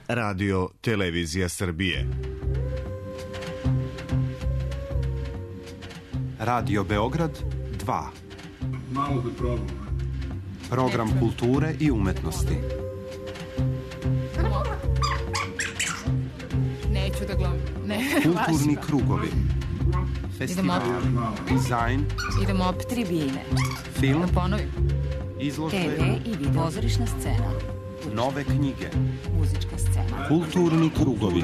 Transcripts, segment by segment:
Radio Televizija Srbije. Radio Beograd 2. Malo da probam. Program kulture i umetnosti. Neću da gledam. Kulturni krugovi. Festival, dizajn. Idemo opet. Tribine. Film. Da ponovim. Izložbe. TV i video. Pozorišna scena. Nove knjige. Muzička scena. Kulturni krugovi.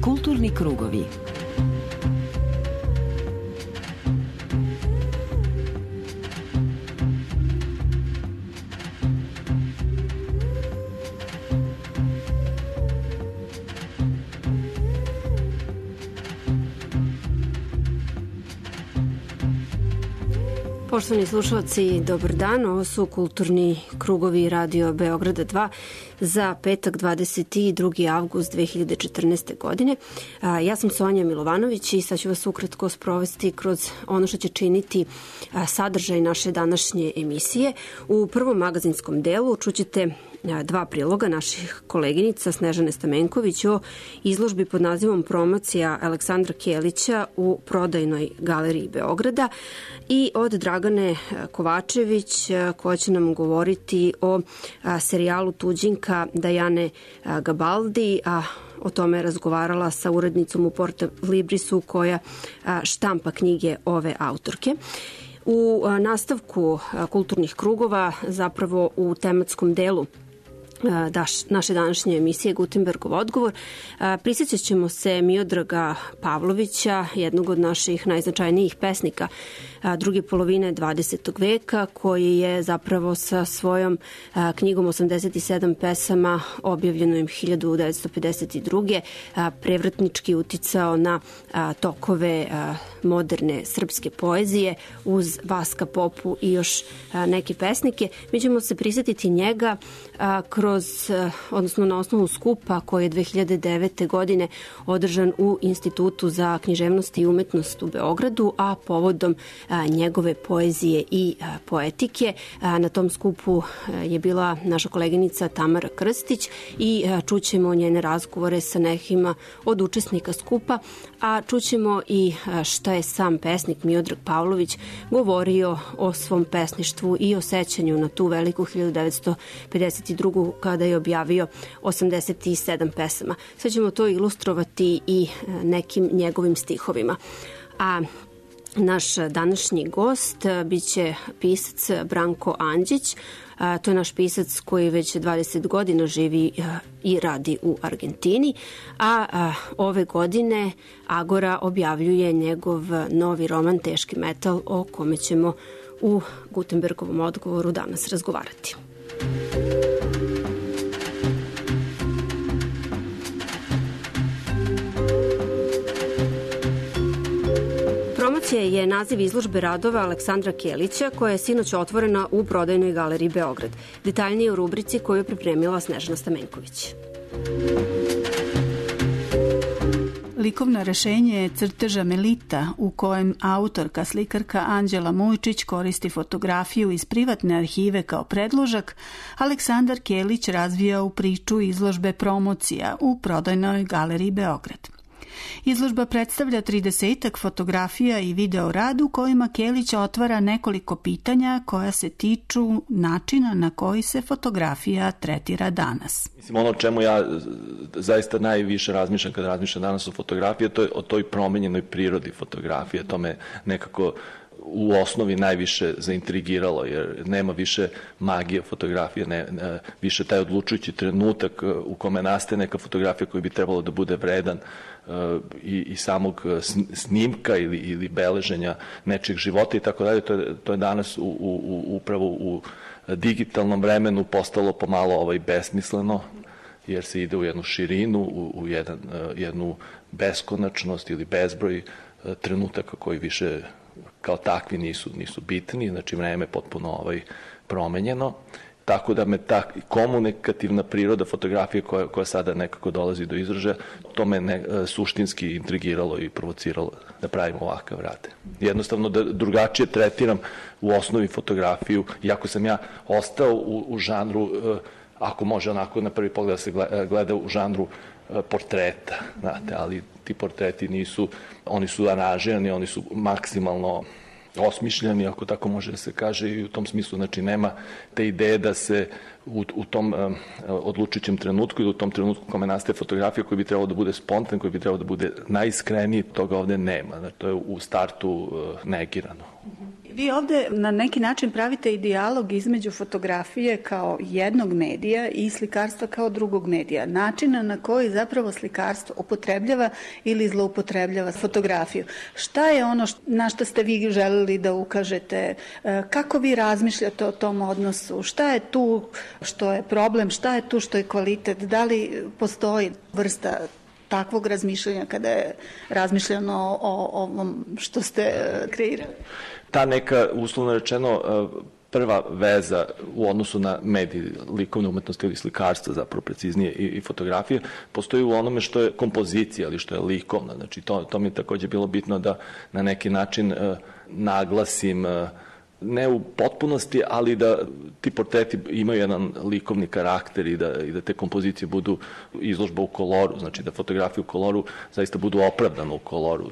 Kulturni krugovi. Poštovani slušalci, dobar dan. Ovo su kulturni krugovi Radio Beograda 2 za petak 22. avgust 2014. godine. Ja sam Sonja Milovanović i sad ću vas ukratko sprovesti kroz ono što će činiti sadržaj naše današnje emisije. U prvom magazinskom delu čućete dva priloga naših koleginica Snežane Stamenković o izložbi pod nazivom Promocija Aleksandra Kelića u Prodajnoj galeriji Beograda i od Dragane Kovačević koja će nam govoriti o serijalu Tuđinka Dajane Gabaldi, a o tome je razgovarala sa urednicom u Porta Librisu koja štampa knjige ove autorke. U nastavku kulturnih krugova, zapravo u tematskom delu naše današnje emisije Gutenbergov odgovor, prisjećat ćemo se Miodraga Pavlovića, jednog od naših najznačajnijih pesnika druge polovine 20. veka, koji je zapravo sa svojom knjigom 87 pesama, objavljenom 1952. prevratnički uticao na tokove moderne srpske poezije uz Vaska Popu i još neke pesnike. Mi ćemo se prisjetiti njega odnosno na osnovu skupa koji je 2009. godine održan u Institutu za književnost i umetnost u Beogradu, a povodom njegove poezije i poetike. Na tom skupu je bila naša koleginica Tamara Krstić i čućemo njene razgovore sa nekima od učesnika skupa, a čućemo i šta je sam pesnik Miodrag Pavlović govorio o svom pesništvu i o sećanju na tu veliku 1952. kada je objavio 87 pesama. Sad ćemo to ilustrovati i nekim njegovim stihovima. A naš današnji gost biće pisac Branko Andžić. To je naš pisac koji već 20 godina živi i radi u Argentini, a ove godine Agora objavljuje njegov novi roman Teški metal, o kome ćemo u Gutenbergovom odgovoru danas razgovarati. Promocija je naziv izložbe radova Aleksandra Kelića koja je sinoć otvorena u Prodajnoj galeriji Beograd. Detaljnije u rubrici koju je pripremila Snežana Stamenković. Likovno rešenje je crteža Melita, u kojem autorka slikarka Anđela Mujčić koristi fotografiju iz privatne arhive kao predložak, Aleksandar Kelić razvija u priču izložbe Promocija u Prodajnoj galeriji Beograd. Izložba predstavlja 30 fotografija i video rad u kojima Kelić otvara nekoliko pitanja koja se tiču načina na koji se fotografija tretira danas. Mislim, ono o čemu ja zaista najviše razmišljam kada razmišljam danas o fotografiji, to je o toj promenjenoj prirodi fotografije. To me nekako u osnovi najviše zaintrigiralo, jer nema više magije fotografije, više taj odlučujući trenutak u kome nastaje neka fotografija koji bi trebalo da bude vredan i samog snimka ili beleženja nečeg života i tako dalje. To je danas upravo u digitalnom vremenu postalo pomalo besmisleno, jer se ide u jednu širinu, u jednu beskonačnost ili bezbroj trenutaka koji više kao takvi nisu bitni, znači vreme je potpuno promenjeno tako da me ta komunikativna priroda fotografije koja sada nekako dolazi do izražaja, to me suštinski intrigiralo i provociralo da pravim ovakav rad. Jednostavno da drugačije tretiram u osnovi fotografiju, iako sam ja ostao u žanru, ako može onako na prvi pogled da se gleda u žanru portreta, znate, ali ti portreti nisu, oni su aranžirani, oni su maksimalno osmišljeni, ako tako može da se kaže, i u tom smislu, znači, nema te ideje da se u tom odlučujućem trenutku ili u tom trenutku kome nastaje fotografija koji bi trebalo da bude spontan, koji bi trebalo da bude najiskreniji, toga ovde nema. Znači, to je u startu negirano. Vi ovde na neki način pravite i dijalog između fotografije kao jednog medija i slikarstva kao drugog medija. Načina na koji zapravo slikarstvo upotrebljava ili zloupotrebljava fotografiju. Šta je ono na što ste vi želeli da ukažete? Kako vi razmišljate o tom odnosu? Šta je tu što je problem? Šta je tu što je kvalitet? Da li postoji vrsta takvog razmišljanja kada je razmišljeno o ovom što ste kreirali? Ta neka, uslovno rečeno, prva veza u odnosu na medij likovne umetnosti ili slikarstva, zapravo preciznije, i fotografije, postoji u onome što je kompozicija ili što je likovna. Znači, to mi je takođe bilo bitno da na neki način naglasim, ne u potpunosti, ali da ti portreti imaju jedan likovni karakter i da te kompozicije budu izložba u koloru, znači da fotografije u koloru zaista budu opravdane u koloru,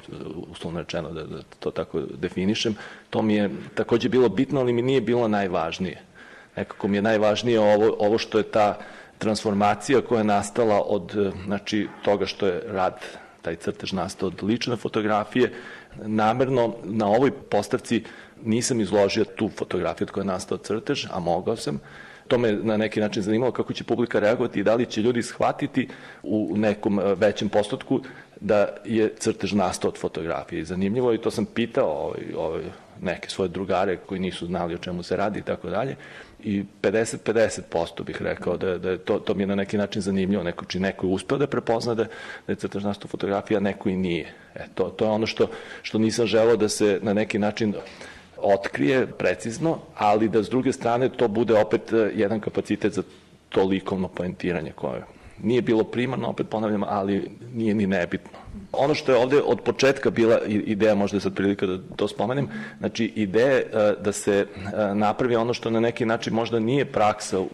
uslovno rečeno, da to tako definišem. To mi je takođe bilo bitno, ali mi nije bilo najvažnije. Nekako mi je najvažnije ovo što je ta transformacija koja je nastala od, znači, toga što je rad, taj crtež nastao od lične fotografije. Namerno na ovoj postavci nisam izložio tu fotografiju od koja je nastao crtež, a mogao sam. To me na neki način zanimalo kako će publika reagovati i da li će ljudi shvatiti u nekom većem postotku da je crtež nastao od fotografije. Zanimljivo, i to sam pitao neke svoje drugare koji nisu znali o čemu se radi i tako dalje. I 50% bih rekao da je to mi je na neki način zanimljivo. Neko je uspeo da prepozna da je crtež nastao fotografija, a neko i nije. To je ono što nisam želeo da se na neki način otkrije precizno, ali da s druge strane to bude opet jedan kapacitet za to likovno poentiranje koje nije bilo primarno, opet ponavljam, ali nije ni nebitno. Ono što je ovde od početka bila ideja, možda je sad prilika da to spomenem, znači ideja da se napravi ono što na neki način možda nije praksa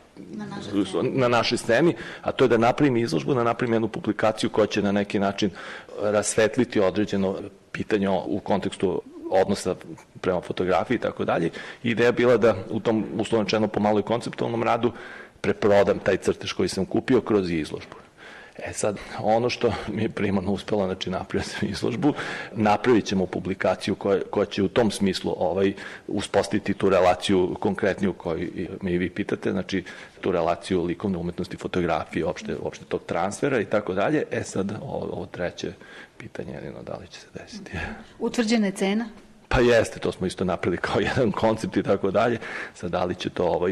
na našoj sceni, a to je da napravim izložbu, da napravim jednu publikaciju koja će na neki način rasvetliti određeno pitanje u kontekstu odnosa prema fotografiji i tako dalje. Ideja je bila da u tom, uslovno rečeno, pomalo i konceptualnom radu preprodam taj crtež koji sam kupio kroz izložbu. Sad, ono što mi je primarno uspelo, znači napraviti sam izložbu, napravit ćemo publikaciju koja će u tom smislu uspostaviti tu relaciju konkretniju koju me i vi pitate, znači tu relaciju likovne umetnosti, fotografije, opšte tog transfera i tako dalje. Sad, ovo treće pitanje, jedino da li će se desiti. Utvrđena je cena? Pa jeste, to smo isto napravili kao jedan koncept i tako dalje. Sad, da li će to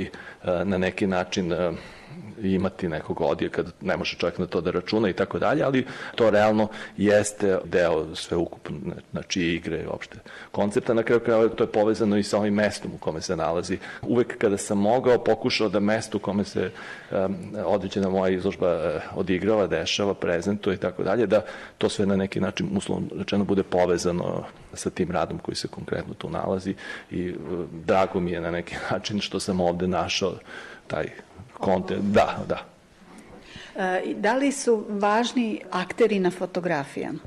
na neki način imati nekog odjeka, ne može čovjek na to da računa i tako dalje, ali to realno jeste deo sveukupne, znači igre, uopšte koncepta. Na kraju krajeva to je povezano i sa ovim mestom u kome se nalazi. Uvek kada sam mogao, pokušao da mesto u kome se određena moja izložba odigrava, dešava, prezentuje i tako dalje, da to sve na neki način, uslovno rečeno, bude povezano sa tim radom koji se konkretno tu nalazi i drago mi je na neki način što sam ovde našao taj kontent. Da. Da li su važni akteri na fotografijama?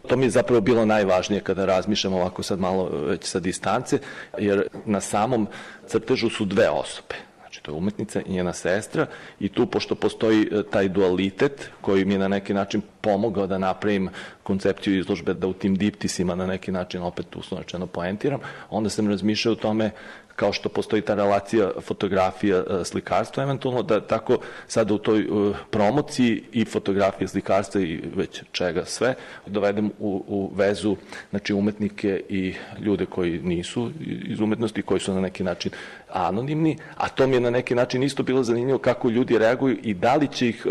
To mi je zapravo bilo najvažnije kada razmišljam ovako sad malo već sa distance, jer na samom crtežu su dve osobe. Znači, to je umetnica i njena sestra i tu, pošto postoji taj dualitet koji mi je na neki način pomogao da napravim koncepciju izložbe, da u tim diptisima na neki način opet uslovno rečeno poentiram, onda sam razmišljao o tome kao što postoji ta relacija fotografija, slikarstva, eventualno da tako sada u toj promociji i fotografije, slikarstva i već čega sve dovedem u vezu, znači, umetnike i ljude koji nisu iz umetnosti, koji su na neki način anonimni, a to mi je na neki način isto bilo zanimljivo kako ljudi reaguju i da li će ih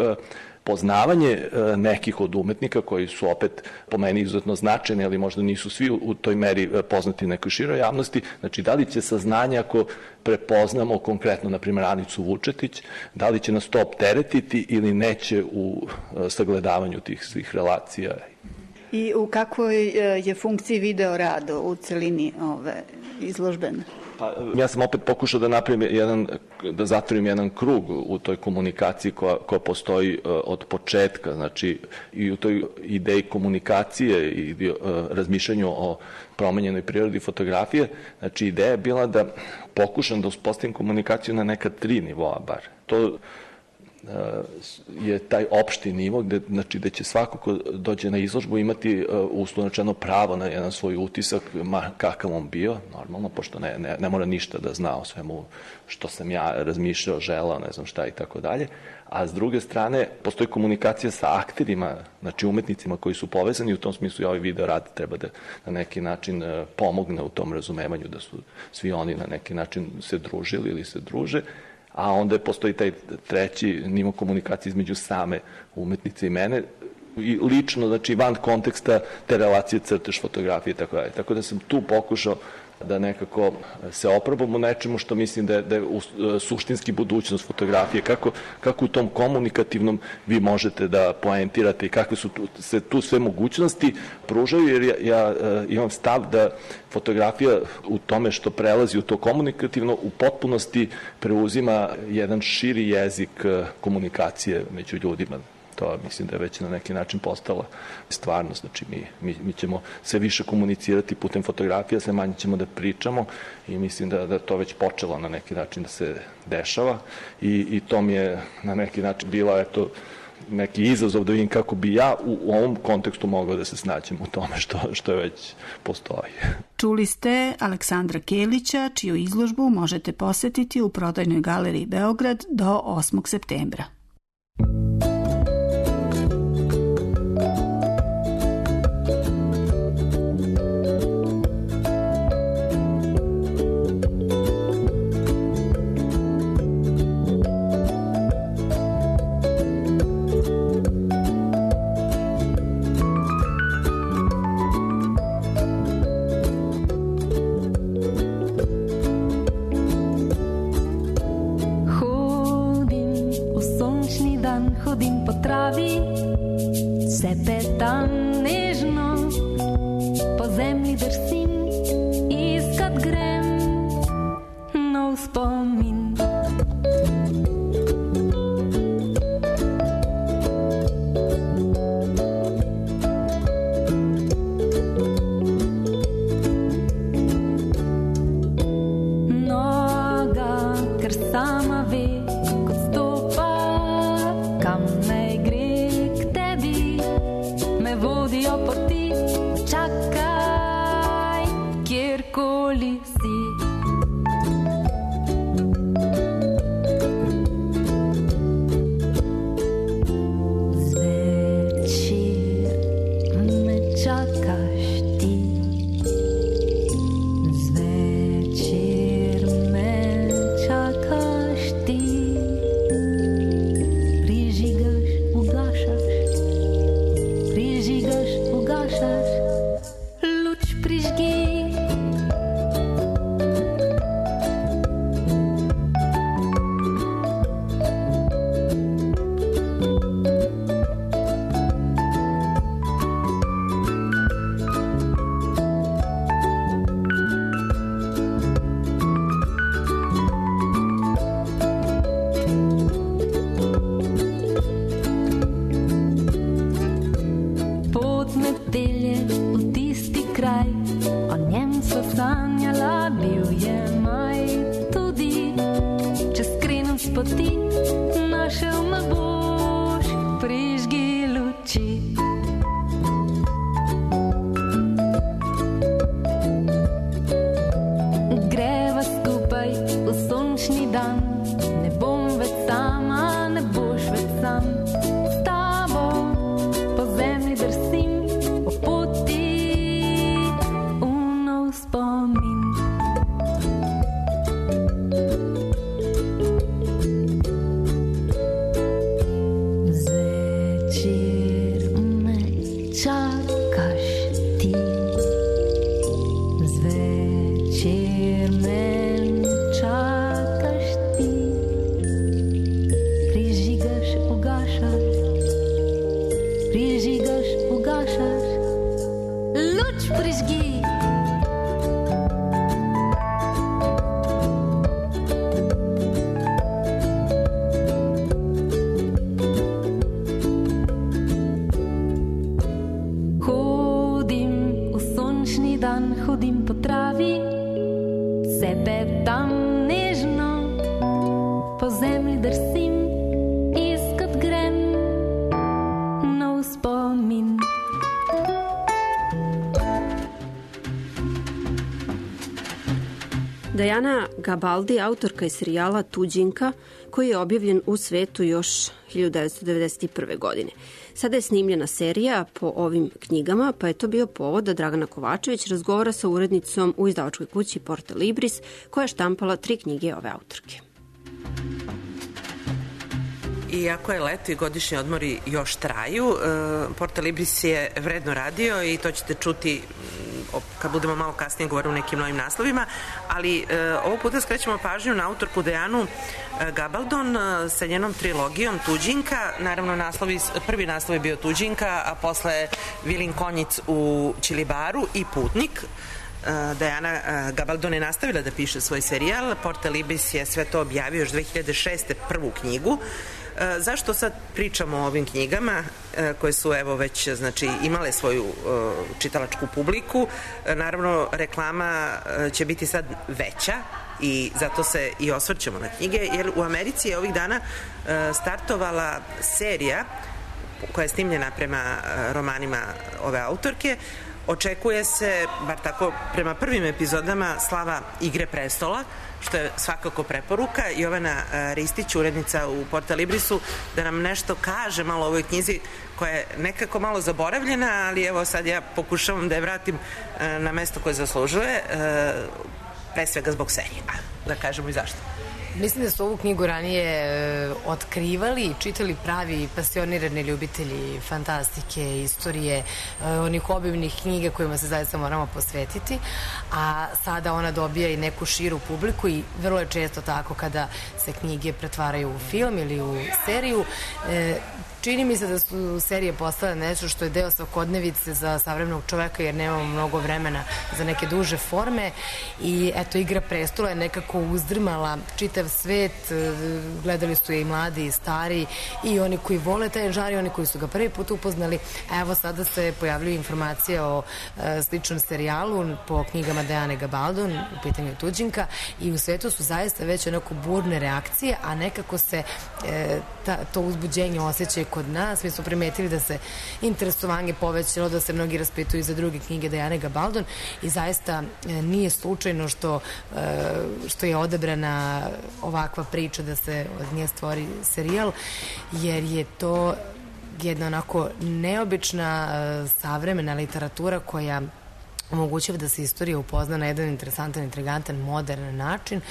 poznavanje nekih od umetnika koji su opet po meni izuzetno značajni, ali možda nisu svi u toj meri poznati nekoj široj javnosti. Znači, da li će saznanje ako prepoznamo konkretno, na primjer, Anicu Vučetić, da li će nas to opteretiti ili neće u sagledavanju tih svih relacija. I u kakvoj je funkciji video rado u celini ove izložbene? Pa, ja sam opet pokušao da napravim da zatvorim jedan krug u toj komunikaciji koja postoji od početka, znači i u toj ideji komunikacije i razmišljanju o promenjenoj prirodi fotografije. Znači, ideja je bila da pokušam da uspostavim komunikaciju na neka 3 nivoa bar. To je taj opšti nivo gde će svako ko dođe na izložbu imati uslovno rečeno pravo na jedan svoj utisak, kakav on bio, normalno, pošto ne mora ništa da zna o svemu što sam ja razmišljao, želao, ne znam šta i tako dalje. A s druge strane, postoji komunikacija sa akterima, znači umetnicima koji su povezani, u tom smislu i ovaj video rad treba da na neki način pomogne u tom razumevanju da su svi oni na neki način se družili ili se druže. A onda postoji taj treći nivo komunikacije između same umetnice i mene, i lično, znači van konteksta te relacije crtež, fotografije i tako dalje. Tako da sam tu pokušao da nekako se oprobam u nečemu što mislim da je suštinski budućnost fotografije, kako u tom komunikativnom vi možete da poentirate i kakve su se tu sve mogućnosti pružaju, jer ja imam stav da fotografija u tome što prelazi u to komunikativno u potpunosti preuzima jedan širi jezik komunikacije među ljudima. To mislim da je već na neki način postala stvarnost. Znači, mi ćemo sve više komunicirati putem fotografija, sve manje ćemo da pričamo i mislim da to već počelo na neki način da se dešava i to mi je na neki način bila, neki izazov da vidim kako bi ja u ovom kontekstu mogao da se snađem u tome što je već postoji. Čuli ste Aleksandra Kelića, čiju izložbu možete posetiti u prodajnoj galeriji Beograd do 8. septembra. Hodim po travi, se petam nežno, po zemlji drsim, iskat grem nov spomin. Noga, ker sama ve, vodijo poti, čakaj, kjerkoli si. Zvečer me čakaš ti, zvečer me čakaš ti, prižigaš, ugašaš, prižigaš, ugašaš, luč prižgi. Pot me pelje v tisti kraj, o Večer men čakaš ti, prižigaš, ugašaš, prižigaš, ugašaš, luč prižgi. Hodim po travi, sebe tam nežno, po zemlji drsim, iskat grem nov spomin. Diana Gabaldi, autorka je serijala Tuđinka, koji je objavljen u svetu još 1991. godine. Sada je snimljena serija po ovim knjigama, pa je to bio povod da Dragana Kovačević razgovara sa urednicom u izdavačkoj kući Porta Libris, koja je štampala 3 knjige ove autorke. Iako je leto i godišnji odmori još traju, Porta Libris je vredno radio i to ćete čuti kad budemo malo kasnije govoriti o nekim novim naslovima, ali ovog puta skrećemo pažnju na autorku Dianu Gabaldon sa njenom trilogijom Tuđinka. Naravno, prvi naslov je bio Tuđinka, a posle Vilin konjic u Ćilibaru i Putnik. Diana Gabaldon je nastavila da piše svoj serijal. Porta Libris je sve to objavio još 2006. prvu knjigu. Zašto sad pričamo o ovim knjigama koje su evo već imale svoju čitalačku publiku? Naravno, reklama će biti sad veća i zato se i osvrćemo na knjige, jer u Americi je ovih dana startovala serija koja je snimljena prema romanima ove autorke. Očekuje se, bar tako prema prvim epizodama, slava Igre prestola, što je svakako preporuka. Jovana Ristić, urednica u Porta Librisu, da nam nešto kaže malo o ovoj knjizi koja je nekako malo zaboravljena, ali evo sad ja pokušavam da je vratim na mesto koje zaslužuje, pre svega zbog serije. Da kažemo i zašto. Mislim da su ovu knjigu ranije otkrivali i čitali pravi pasionirani ljubitelji fantastike, istorije, onih obimnih knjiga kojima se zaista moramo posvetiti, a sada ona dobija i neku širu publiku i vrlo je često tako kada se knjige pretvaraju u film ili u seriju. Čini mi se da su serije postale nešto što je deo svakodnevice za savremenog čoveka, jer nemamo mnogo vremena za neke duže forme i eto, Igra prestola je nekako uzdrmala čitav svet, gledali su je i mladi i stari i oni koji vole taj žar i oni koji su ga prvi put upoznali, a evo sada se pojavljuju informacije o sličnom serijalu po knjigama Diane Gabaldon, u pitanju Tuđinka, i u svetu su zaista već onako burne reakcije, a nekako se to uzbuđenje osjeća kod nas. Mi smo primetili da se interesovanje povećalo, da se mnogi raspituju za druge knjige Diane Gabaldon i zaista nije slučajno što je odabrana ovakva priča da se od nje stvori serijal, jer je to jedna onako neobična savremena literatura koja omogućava da se istorija upozna na jedan interesantan, intrigantan, modern način.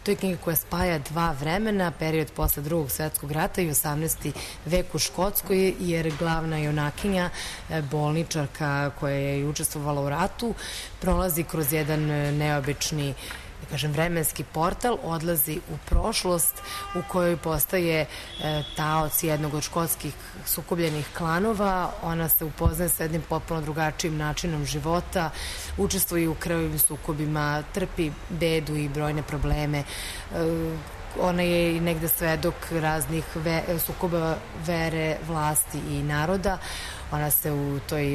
To je knjiga koja spaja dva vremena, period posle Drugog svetskog rata i 18. vek u Škotskoj, jer glavna junakinja, bolničarka koja je učestvovala u ratu, prolazi kroz jedan neobični, da kažem, vremenski portal, odlazi u prošlost u kojoj postaje taoc jednog od škotskih sukobljenih klanova. Ona se upoznaje sa jednim potpuno drugačijim načinom života, učestvuje u krvavim sukobima, trpi bedu i brojne probleme. Ona je i negde svedok raznih sukoba vere, vlasti i naroda. Ona se u toj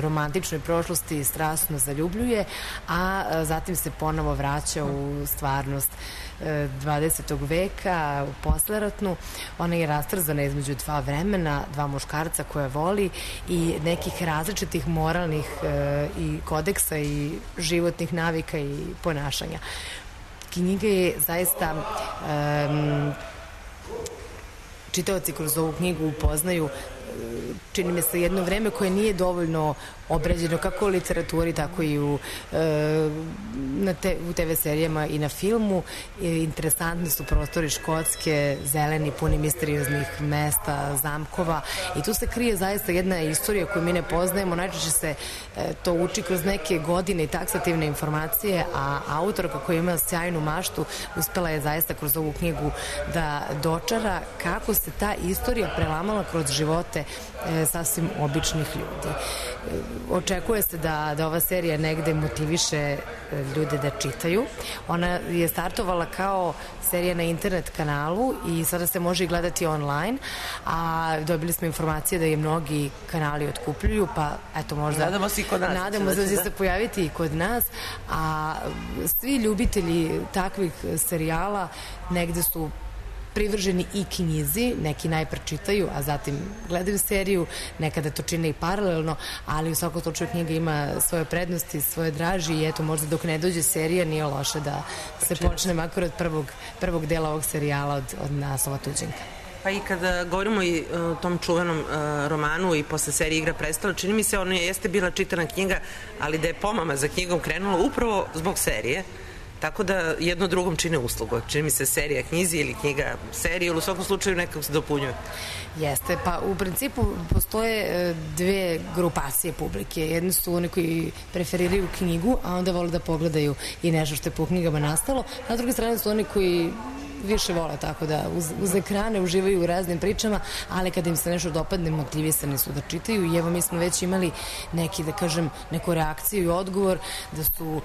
romantičnoj prošlosti strasno zaljubljuje, a zatim se ponovo vraća u stvarnost 20. veka, u posleratnu. Ona je rastrzana između dva vremena, dva muškarca koje voli i nekih različitih moralnih i kodeksa i životnih navika i ponašanja. Knjiga je zaista čitaoci kroz ovu knjigu upoznaju, čini mi se, jedno vreme koje nije dovoljno obrađeno kako u literaturi, tako i u TV serijama i na filmu. Interesantni su prostori Škotske, zeleni, puni misterioznih mesta, zamkova, i tu se krije zaista jedna istorija koju mi ne poznajemo. Najčešće se to uči kroz neke godine i taksativne informacije, a autorka koja ima sjajnu maštu uspela je zaista kroz ovu knjigu da dočara kako se ta istorija prelamala kroz živote sasvim običnih ljudi. Očekuje se da ova serija negde motiviše ljude da čitaju. Ona je startovala kao serija na internet kanalu i sada se može i gledati online, a dobili smo informacije da je mnogi kanali otkupljuju, pa eto možda nadamo se i kod nas. Nadamo se da će se pojaviti i kod nas, a svi ljubitelji takvih serijala negde su privrženi i knjizi, neki najpre čitaju, a zatim gledaju seriju, nekada to čine i paralelno, ali u svakom slučaju knjiga ima svoje prednosti, svoje draži, i eto možda dok ne dođe serija nije loše da se počne makar od prvog dela ovog serijala od naslova Tuđenka. Pa i kada govorimo i o tom čuvenom romanu i posle serije Igra prestola, čini mi se ono jeste bila čitana knjiga, ali da je pomama za knjigom krenula upravo zbog serije. Tako da jedno drugom čine uslugu. Čini mi se serija knjizi ili knjiga serije, ili u svakom slučaju nekako se dopunjuje. Jeste, pa u principu postoje dve grupacije publike. Jedni su oni koji preferiraju knjigu, a onda vole da pogledaju i nešto što je po knjigama nastalo, a s druge strane su oni koji više vole tako da uz ekrane uživaju u raznim pričama, ali kada im se nešto dopadne, motivisani su da čitaju. I evo mi smo već imali neku reakciju i odgovor da su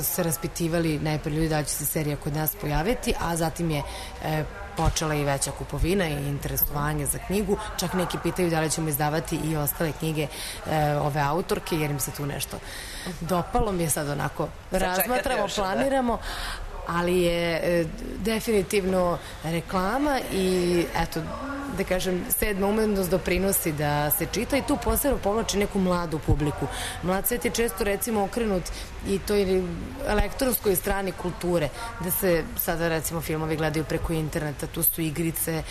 se raspitivali najpre ljudi da će se serija kod nas pojaviti, a zatim je počela i veća kupovina i interesovanje za knjigu. Čak neki pitaju da li ćemo izdavati i ostale knjige ove autorke, jer im se tu nešto dopalo. Mi je sad onako razmatramo, planiramo, ali je definitivno reklama i eto, da kažem, sedma umetnost doprinosi da se čita i tu posebno povlači neku mladu publiku. Mlad svet je često recimo okrenut i toj elektronskoj strani kulture, da se sada recimo filmovi gledaju preko interneta, tu su igrice,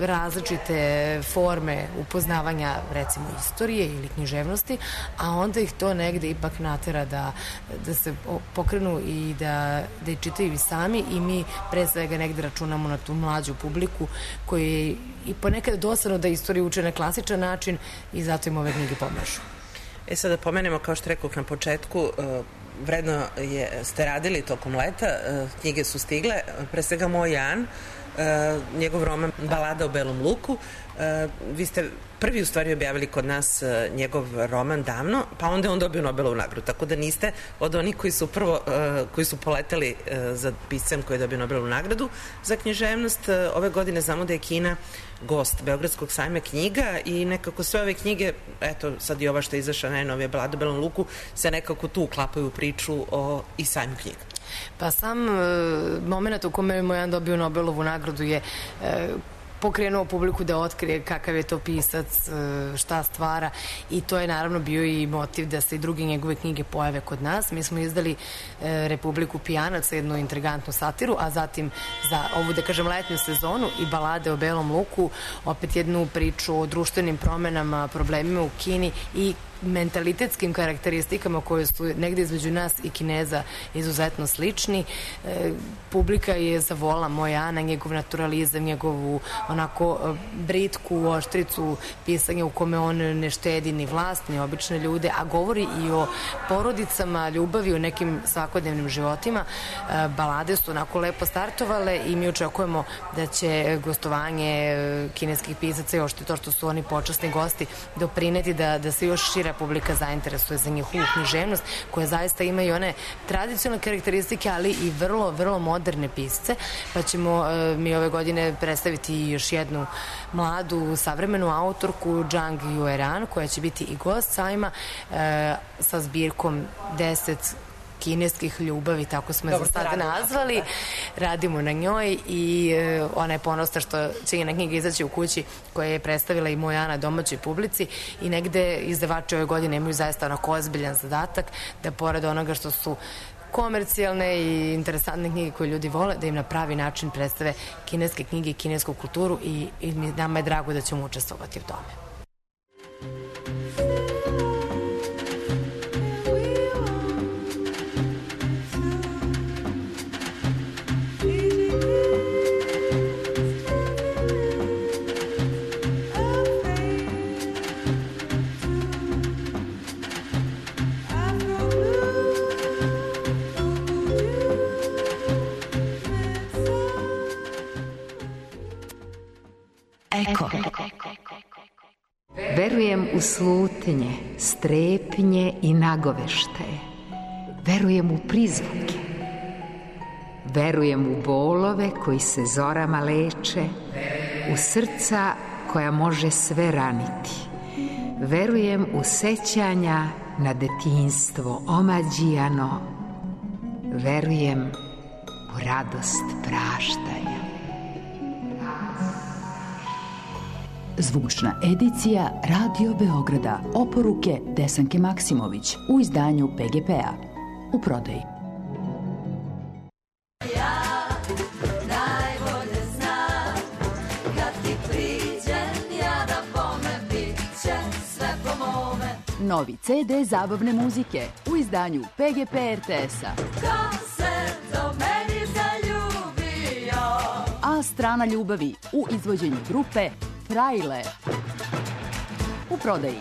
različite forme upoznavanja recimo istorije ili književnosti, a onda ih to negde ipak natera da se pokrenu i da je čitaju i sami, i mi pre svega negde računamo na tu mlađu publiku koji i ponekad dosadno da istoriju uče na klasičan način i zato im ove knjige pomažu. Sada pomenemo, kao što rekao na početku, vredno ste radili tokom leta, knjige su stigle, pre svega Moj Jan, njegov roman Balada o belom luku. Vi ste prvi u stvari objavili kod nas njegov roman davno, pa onda je on dobio Nobelovu nagradu, tako da niste od onih koji su poleteli za piscem koji je dobio Nobelovu nagradu za književnost. Ove godine znamo da je Kina gost Beogradskog sajma knjiga i nekako sve ove knjige, eto sad i ova što je izašla najnovija Balada o belom luku, se nekako tu uklapaju u priču i sajmu knjiga. Pa sam moment u kome je Moj Jan dobio Nobelovu nagradu je pokrenuo publiku da otkrije kakav je to pisac, šta stvara, i to je naravno bio i motiv da se i druge njegove knjige pojave kod nas. Mi smo izdali Republiku pijanaca, jednu intrigantnu satiru, a zatim za ovu, da kažem, letnju sezonu i Balade o belom luku, opet jednu priču o društvenim promenama, problemima u Kini i mentalitetskim karakteristikama koje su negde između nas i Kineza izuzetno slični. Publika je zavola Moj Jana, njegov naturalizam, njegovu onako britku oštricu pisanja u kome on ne štedi ni vlast, ni obične ljude, a govori i o porodicama, ljubavi, o nekim svakodnevnim životima. Balade su onako lepo startovale i mi očekujemo da će gostovanje kineskih pisaca i ošte to što su oni počasni gosti doprineti da se još šira publika zainteresuje za njihovu književnost, koja zaista ima i one tradicionalne karakteristike, ali i vrlo, vrlo moderne pisce, pa ćemo mi ove godine predstaviti još jednu mladu savremenu autorku, Zhang Yueran, koja će biti i gost sajma sa zbirkom 10 kineskih ljubavi, tako smo je za sada nazvali. Radimo na njoj i ona je ponosna što će njena knjiga izaći u kući, koja je predstavila i Moj Jana domaćoj publici, i negde izdavači ove godine imaju zaista onako ozbiljan zadatak da pored onoga što su komercijalne i interesantne knjige koje ljudi vole, da im na pravi način predstave kineske knjige i kinesku kulturu, i nama je drago da ćemo učestvovati u tome. u slutnje, strepnje i nagoveštaje. Verujem u prizvuke. Verujem u bolove koji se zorama leče, u srca koja može sve raniti. Verujem u sećanja na detinjstvo omađijano. Verujem u radost praštanja. Zvučna edicija Radio Beograda. Oporuke Desanke Maksimović u izdanju PGP-a. U prodaji. Novi CD zabavne muzike u izdanju PGP RTS-a. A strana ljubavi u izvođenju grupe Frajle. U prodaji.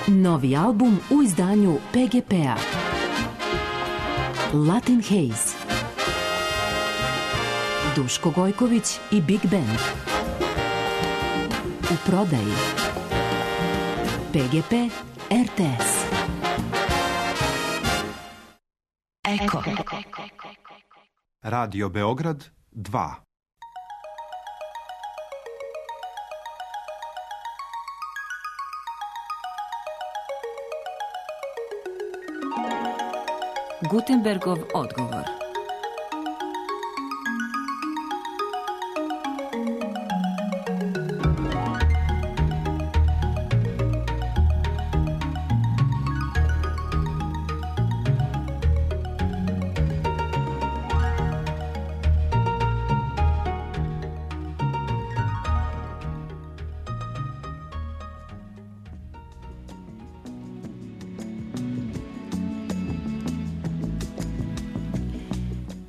Novi album u izdanju PGP-a. Latin Haze. Duško Gojković i Big Band. U prodaji. PGP RTS. Eko. Radio Beograd 2. Gutenbergov odgovor.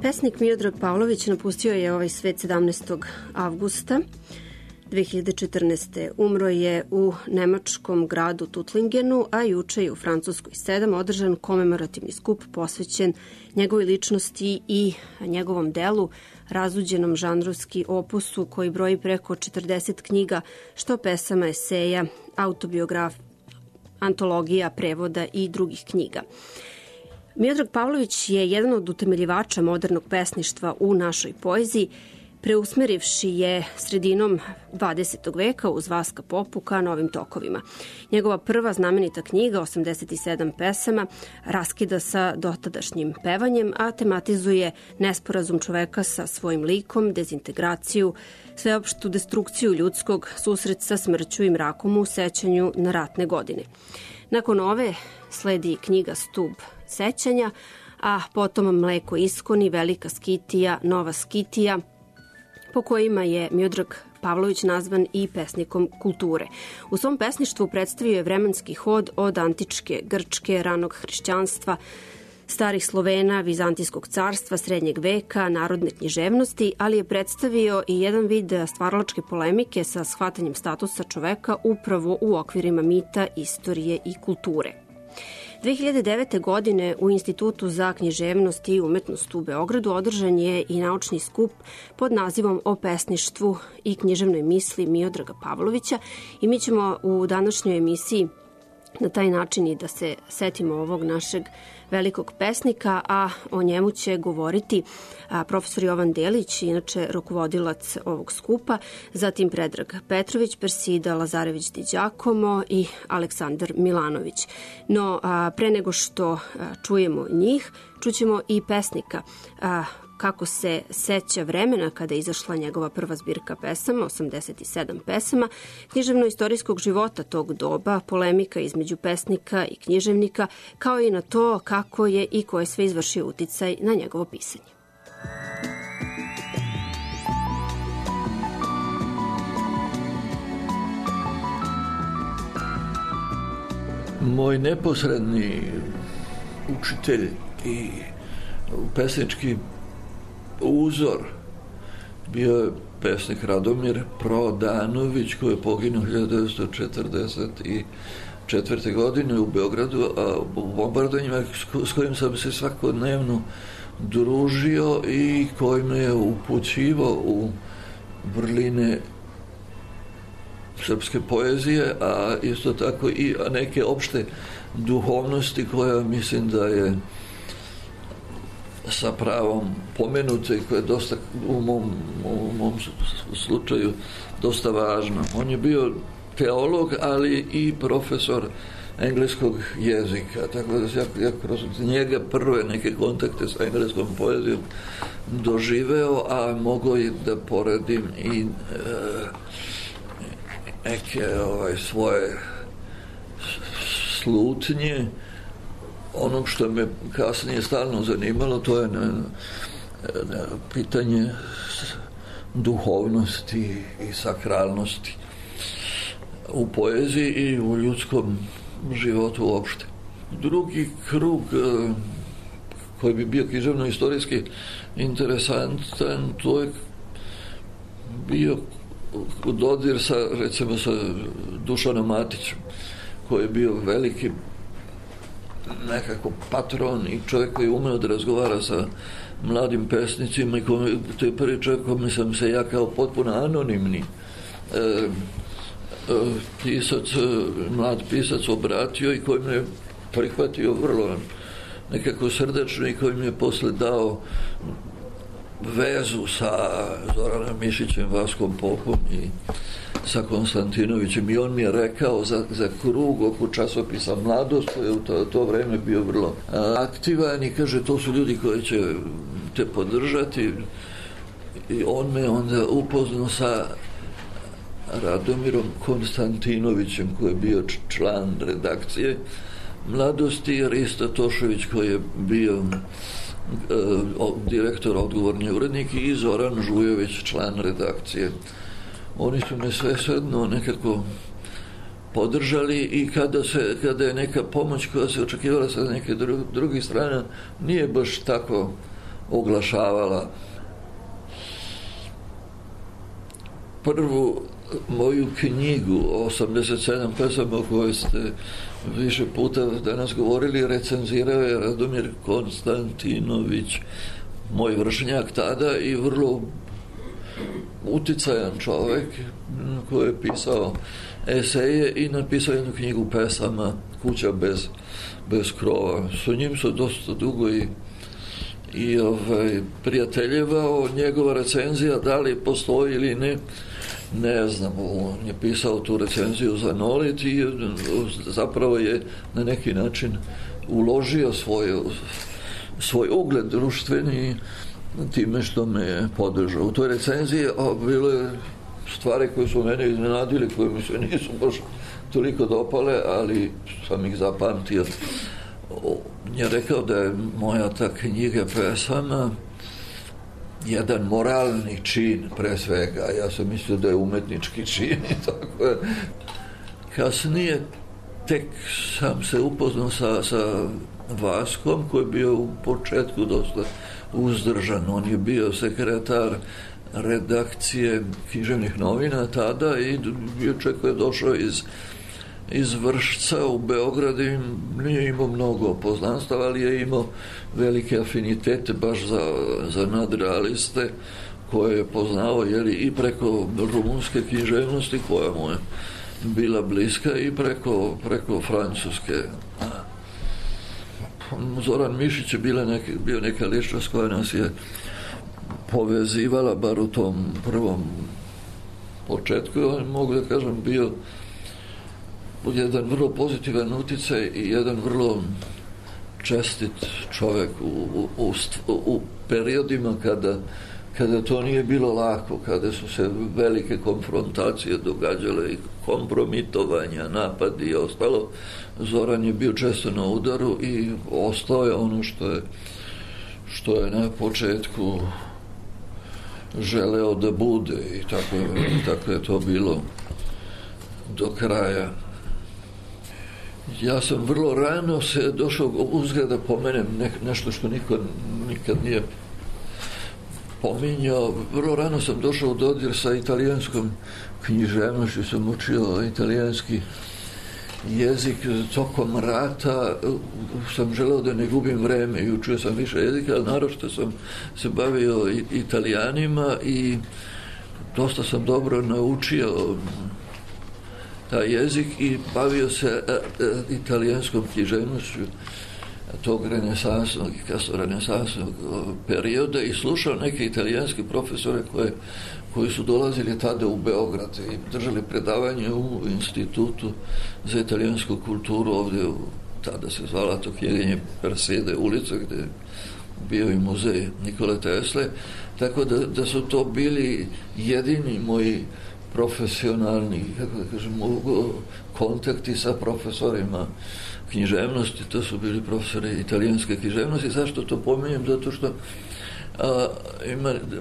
Pesnik Miodrag Pavlović napustio je ovaj svet 17. avgusta 2014. Umro je u nemačkom gradu Tuttlingenu, a juče je u Francuskoj 7 održan komemorativni skup posvećen njegovoj ličnosti i njegovom delu, razuđenom žanrovski opusu koji broji preko 40 knjiga, što pesama, eseja, antologija, prevoda i drugih knjiga. Miodrag Pavlović je jedan od utemeljivača modernog pesništva u našoj poeziji, preusmerivši je sredinom 20. veka uz Vaska Popu ka novim tokovima. Njegova prva znamenita knjiga, 87 pesama, raskida sa dotadašnjim pevanjem, a tematizuje nesporazum čoveka sa svojim likom, dezintegraciju, sveopštu destrukciju ljudskog, susret sa smrću i mrakom u sećanju na ratne godine. Nakon ove sledi knjiga Stub sećanja, a potom Mleko iskoni, Velika skitija, Nova skitija, po kojima je Miodrag Pavlović nazvan i pesnikom kulture. U svom pesništvu predstavio je vremenski hod od antičke Grčke, ranog hrišćanstva, starih Slovena, Vizantijskog carstva, srednjeg veka, narodne književnosti, ali je predstavio i jedan vid stvaralačke polemike sa shvatanjem statusa čoveka upravo u okvirima mita, istorije i kulture. 2009. godine u Institutu za književnost i umetnost u Beogradu održan je i naučni skup pod nazivom O pesništvu i književnoj misli Miodraga Pavlovića i mi ćemo u današnjoj emisiji na taj način i da se setimo ovog našeg velikog pesnika, a o njemu će govoriti profesor Jovan Delić, inače rukovodilac ovog skupa, zatim Predrag Petrović, Persida Lazarević Di Đacomo i Aleksandar Milanović. No, pre nego što čujemo njih, čućemo i pesnika, kako se seća vremena kada je izašla njegova prva zbirka pesama, 87 pesama, književno-istorijskog života tog doba, polemika između pesnika i književnika, kao i na to kako je i ko je sve izvršio uticaj na njegovo pisanje. Moj neposredni učitelj i pesnički uzor bio je pesnik Radomir Prodanović, koji je poginuo 1942. 1944. godine u Beogradu, a u bombardovanjima s kojim sam se svakodnevno družio i koji me je upućivao u vrline srpske poezije, a isto tako i neke opšte duhovnosti koja mislim da je sa pravom pomenute i koja je dosta u mom slučaju dosta važna. On je bio teolog, ali i profesor engleskog jezika, tako da ja kroz njega prve neke kontakte sa engleskom poezijom doživeo, a mogu i da poredim i neke svoje slutnje. Ono što me kasnije stalno zanimalo, to je pitanje duhovnosti i sakralnosti u poeziji i u ljudskom životu uopšte. Drugi krug koji bi bio književno-istorijski interesantan, to je bio dodir recimo sa Dušanom Matićem, koji je bio veliki nekako patron i čovjek koji je umeo da razgovara sa mladim pesnicima i to je prvi čovjek kome sam se ja kao potpuno anonimni mlad pisac obratio i koji me je prihvatio vrlo nekako srdačno i koji mi je posle dao vezu sa Zoranom Mišićem, Vaskom Popom i sa Konstantinovićem, i on mi je rekao za krug oko časopisa Mladost, koji je u to vreme bio vrlo aktivan, i kaže, to su ljudi koji će te podržati, i on me onda upoznao sa Radomirom Konstantinovićem, koji je bio član redakcije Mladosti, i Rista Tošović, koji je bio direktor, odgovorni urednik, i Zoran Žujović, član redakcije. Oni su me svesrdno nekako podržali, i kada je neka pomoć koja se očekivala sa neke drugih strana nije baš tako oglašavala. Prvu moju knjigu 87 pesama o kojoj ste više puta danas govorili recenzirao je Radomir Konstantinović, moj vršnjak tada i vrlo uticajan čovjek koji je pisao eseje i napisao jednu knjigu pesama Kuća bez krova. Sa njim su dosta dugo i prijateljevao. Njegova recenzija, da li postoji ili ne znam, on je pisao tu recenziju za Nolit i zapravo je na neki način uložio svoj ugled društveni time što me je podržao. U toj recenziji bilo je stvari koje su mene iznenadili, koje mi se nisu baš toliko dopale, ali sam ih zapamtio. On je rekao da je moja ta knjiga pesama jedan moralni čin pre svega. Ja sam mislio da je umetnički čin i tako je. Kasnije tek sam se upoznao sa Vaskom, koji je bio u početku dosta uzdržan. On je bio sekretar redakcije književnih novina tada i bio čovjek koji je došao iz Vršca u Beograd i nije imao mnogo poznanstava, ali je imao velike afinitete baš za nadrealiste koje je poznao i preko rumunske književnosti koja mu je bila bliska i preko francuske. Zoran Mišić je bio neka ličnost koja nas je povezivala, bar u tom prvom početku. On, mogu da kažem, bio jedan vrlo pozitivan uticaj i jedan vrlo čestit čovjek u periodima kada to nije bilo lako, kada su se velike konfrontacije događale i kompromitovanja, napadi i ostalo. Zoran je bio često na udaru i ostao je ono što je na početku želeo da bude, i tako je to bilo do kraja. Ja sam vrlo rano se došao uzgled da pomenem nešto što niko nikad nije pominjao. Vrlo rano sam došao u dodir sa italijanskom književnošću, sam učio italijanski jezik tokom rata sam želeo da ne gubim vreme i učio sam više jezika, ali naročito sam se bavio Italijanima i dosta sam dobro naučio taj jezik i bavio se italijanskom književnošću tog renesansnog i kasno renesansnog perioda i slušao neke italijanske profesore koji su dolazili tada u Beograd i držali predavanje u Institutu za italijansku kulturu ovdje, tada se zvala to knjigenje Persede ulica, gdje je bio i muzej Nikole Tesle, tako da su to bili jedini moji profesionalni, kako da kažem, kontakti sa profesorima književnosti. To su bili profesori italijanske književnosti. Zašto to pominjem? Zato što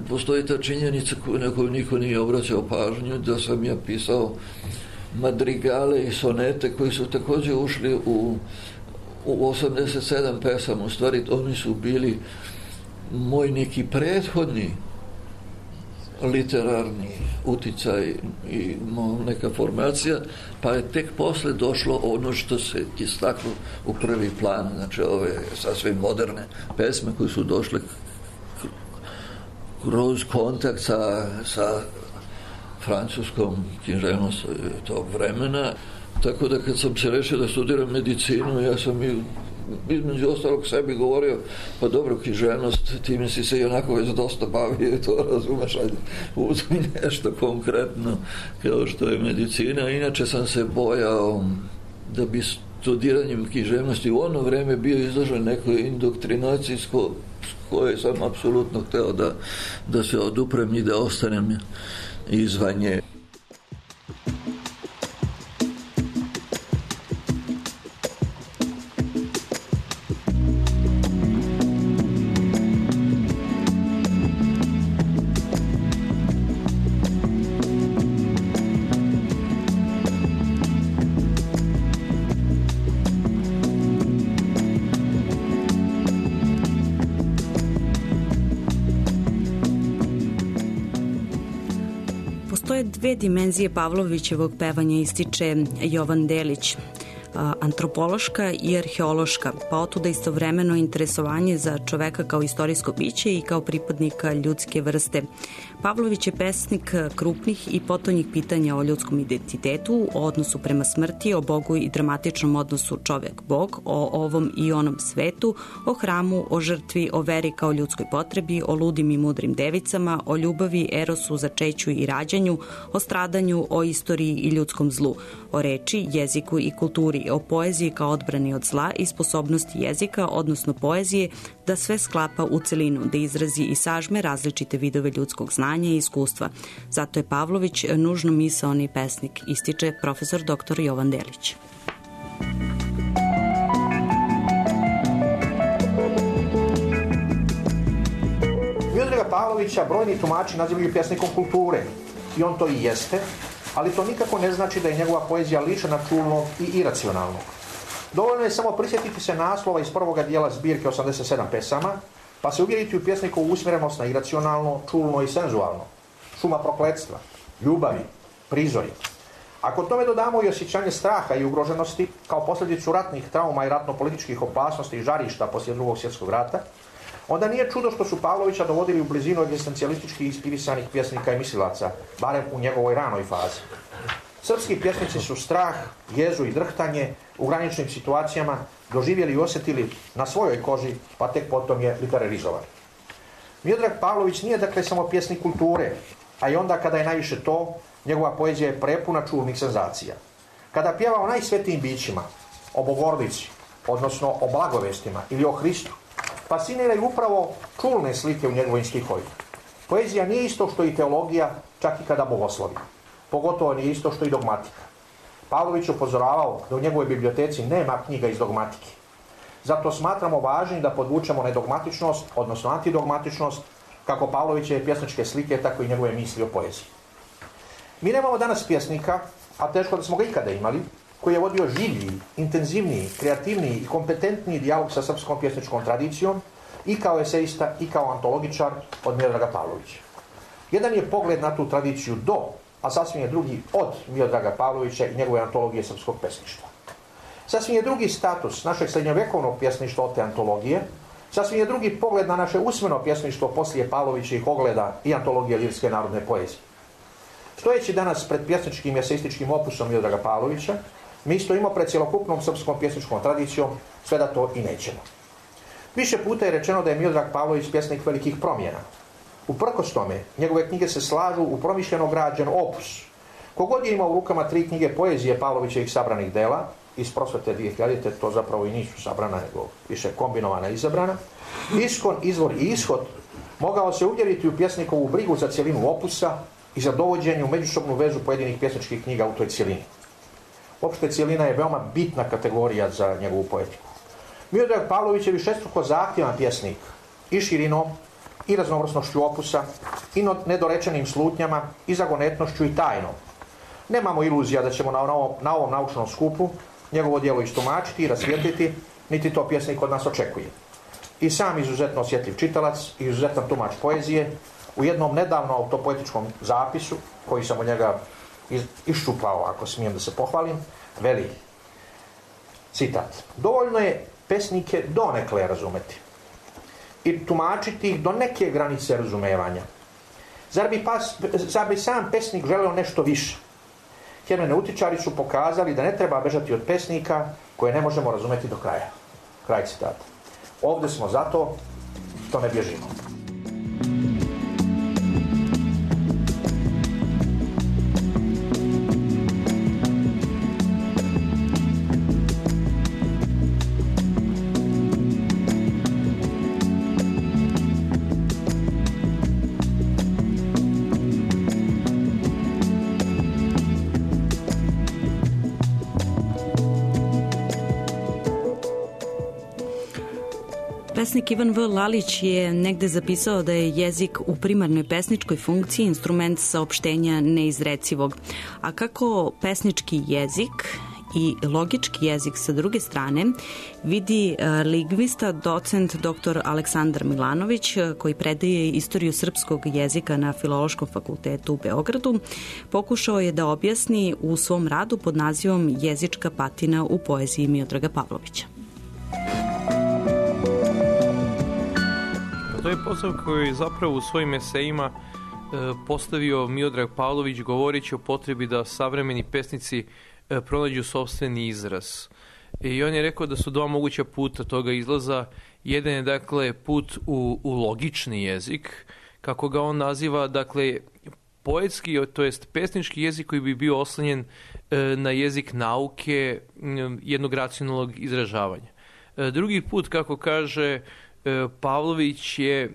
postoji ta činjenica na koju niko nije obraćao pažnju, da sam ja pisao madrigale i sonete koji su također ušli u 87 pesama. U stvari oni su bili moj neki prethodni literarni uticaj i neka formacija, pa je tek posle došlo ono što se istaklo u prvi plan, znači ove sasvim moderne pesme koje su došle kroz kontakt sa francuskom književnosti tog vremena. Tako da kad sam se rešio da studiram medicinu, ja sam između ostalog sebi govorio, pa dobro, književnost, time si se i onako već dosta bavio, to razumeš, ajde, uzmi nešto konkretno kao što je medicina. Inače sam se bojao da bi studiranjem književnosti u ono vreme bio izložen nekoj indoktrinaciji s koje sam apsolutno hteo da se oduprem i da ostanem izvan nje. Dve dimenzije Pavlovićevog pevanja ističe Jovan Delić, antropološka i arheološka, pa otuda istovremeno interesovanje za čoveka kao istorijsko biće i kao pripadnika ljudske vrste. Pavlović je pesnik krupnih i potonjih pitanja o ljudskom identitetu, o odnosu prema smrti, o Bogu i dramatičnom odnosu čovek-Bog, o ovom i onom svetu, o hramu, o žrtvi, o veri kao ljudskoj potrebi, o ludim i mudrim devicama, o ljubavi, erosu, začeću i rađanju, o stradanju, o istoriji i ljudskom zlu, o reči, jeziku i kulturi, o poeziji kao odbrani od zla i sposobnosti jezika, odnosno poezije, da sve sklapa u celinu, da izrazi i sažme različite vidove ljudskog znanja i iskustva. Zato je Pavlović nužno misaoni pesnik, ističe profesor dr. Jovan Delić. Miodraga Pavlovića brojni tumači nazivaju pesnikom kulture i on to i jeste, ali to nikako ne znači da je njegova poezija lišena čulnog i iracionalnog. Dovoljno je samo prisjetiti se naslova iz prvoga dijela zbirke 87 pesama, pa se uvjeriti u pjesnikovu usmjerenost na iracionalno, čulno i senzualno. Šuma prokletstva, ljubavi, prizori. Ako tome dodamo i osjećanje straha i ugroženosti kao posljedicu ratnih trauma i ratno-političkih opasnosti i žarišta poslije Drugog svjetskog rata, onda nije čudo što su Pavlovića dovodili u blizinu egzistencijalistički inspirisanih pjesnika i mislilaca, barem u njegovoj ranoj fazi. Srpski pjesnici su strah, jezu i drhtanje u graničnim situacijama doživjeli i osjetili na svojoj koži, pa tek potom je literarizovan. Miodrag Pavlović nije dakle samo pjesnik kulture, a i onda kada je najviše to, njegova poezija je prepuna čulnih senzacija. Kada pjeva o najsvetijim bićima, o Bogorodici, odnosno o blagovestima ili o Hristu, fasciniraju upravo čulne slike u njegovim stihovima. Poezija nije isto što i teologija, čak i kada bogoslovi. Pogotovo nije isto što i dogmatika. Pavlović upozoravao da u njegovoj biblioteci nema knjiga iz dogmatike. Zato smatramo važnim da podvučemo nedogmatičnost, odnosno antidogmatičnost, kako Pavlovićeve pjesničke slike, tako i njegove misli o poeziji. Mi nemamo danas pjesnika, a teško da smo ga ikada imali, koji je vodio življi, intenzivniji, kreativniji i kompetentniji dijalog sa srpskom pjesničkom tradicijom i kao eseista i kao antologičar od Miodraga Pavlovića. Jedan je pogled na tu tradiciju do, a sasvim je drugi od Miodraga Pavlovića i njegove antologije srpskog pesništva. Sasvim je drugi status našeg srednjovjekovnog pjesništva od te antologije, sasvim je drugi pogled na naše usmeno pjesništvo poslije Pavlovićih ogleda i antologije lirske narodne poezije. Stojeći danas pred pjesničkim i eseističkim opusom Miodraga Pavlovića, mi stojimo pred cjelokupnom srpskom pjesničkom tradicijom, sve da to i nećemo. Više puta je rečeno da je Miodrag Pavlović pjesnik velikih promjena. Uprkos tome, njegove knjige se slažu u promišljeno građen opus. Kogod je imao u rukama 3 knjige poezije Pavlovićevih sabranih dela, iz Prosvete 2000, to zapravo i nisu sabrana, nego više kombinovana i izabrana, Iskon, Izvor i Ishod, mogao se uvjeriti u pjesnikovu brigu za cjelinu opusa i za dovođenje u međusobnu vezu pojedinih pjesničkih knjiga u toj cjelini. Opšte cjelina je veoma bitna kategorija za njegovu poetiku. Miodrag Pavlović je višestruko zahtjevan pjesnik i širinom, i raznovrsnošću opusa, i nedorečenim slutnjama, i zagonetnošću i tajnom. Nemamo iluzija da ćemo na ovom naučnom skupu njegovo djelo istumačiti i rasvijetliti, niti to pjesnik od nas očekuje. I sam izuzetno osjetljiv čitalac i izuzetan tumač poezije u jednom nedavno autopoetičkom zapisu, koji sam od njega iščupao, ako smijem da se pohvalim, veli, citat: dovoljno je pesnike donekle razumeti i tumačiti ih do neke granice razumevanja. Zar bi sam pesnik želeo nešto više? Hermeneutičari su pokazali da ne treba bežati od pesnika koje ne možemo razumeti do kraja. Kraj citata. Ovdje smo zato što ne bježimo. Pesnik Ivan V. Lalić je negde zapisao da je jezik u primarnoj pesničkoj funkciji instrument saopštenja neizrecivog. A kako pesnički jezik i logički jezik sa druge strane vidi lingvista, docent dr. Aleksandar Milanović, koji predaje istoriju srpskog jezika na Filološkom fakultetu u Beogradu, pokušao je da objasni u svom radu pod nazivom Jezička patina u poeziji Miodraga Pavlovića. To je posao koji je zapravo u svojim esejima postavio Miodrag Pavlović govoreći o potrebi da savremeni pesnici pronađu sopstveni izraz. I on je rekao da su 2 moguća puta toga izlaza. Jedan je dakle put u logični jezik, kako ga on naziva, dakle poetski, to jest pesnički jezik koji bi bio oslonjen na jezik nauke, jednog racionalnog izražavanja. Drugi put, kako kaže Pavlović, je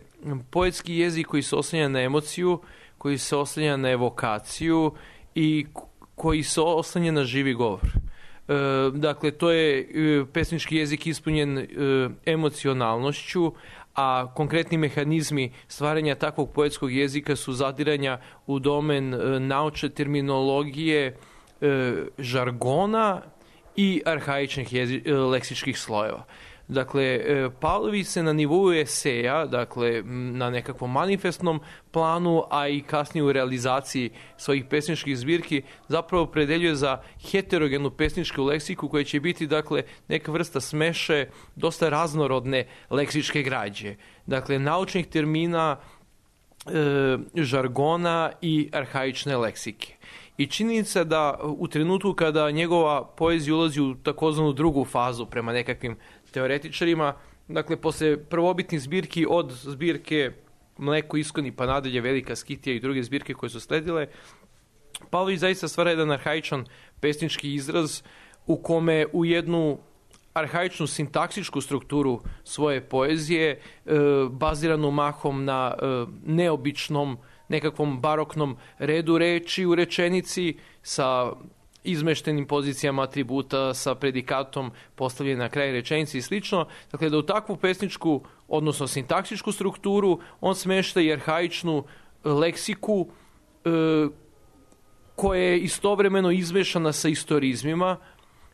poetski jezik koji se oslanja na emociju, koji se oslanja na evokaciju i koji se oslanja na živi govor. Dakle, to je pesnički jezik ispunjen emocionalnošću, a konkretni mehanizmi stvaranja takvog poetskog jezika su zadiranja u domen naučne terminologije, žargona i arhaičnih leksičkih slojeva. Dakle, Pavlović se na nivou eseja, dakle na nekakvom manifestnom planu, a i kasnije u realizaciji svojih pesničkih zbirki, zapravo predeljuje za heterogenu pesničku leksiku koja će biti, dakle, neka vrsta smeše dosta raznorodne leksičke građe. Dakle, naučnih termina, žargona i arhaične leksike. I činjenica da u trenutku kada njegova poezija ulazi u takozvanu drugu fazu prema nekakvim teoretičarima, dakle, posle prvobitnih zbirki od zbirke Mleko, Iskoni pa nadalje, Velika Skitija i druge zbirke koje su sledile, Pavlović zaista stvara jedan arhaičan pesnički izraz u kome u jednu arhaičnu sintaksičku strukturu svoje poezije, baziranu mahom na neobičnom, nekakvom baroknom redu reči u rečenici sa izmeštenim pozicijama atributa, sa predikatom postavljen na kraj rečenici i slično. Dakle, da u takvu pesničku, odnosno sintaksičku strukturu, on smešta i arhaičnu leksiku koja je istovremeno izmešana sa istorizmima.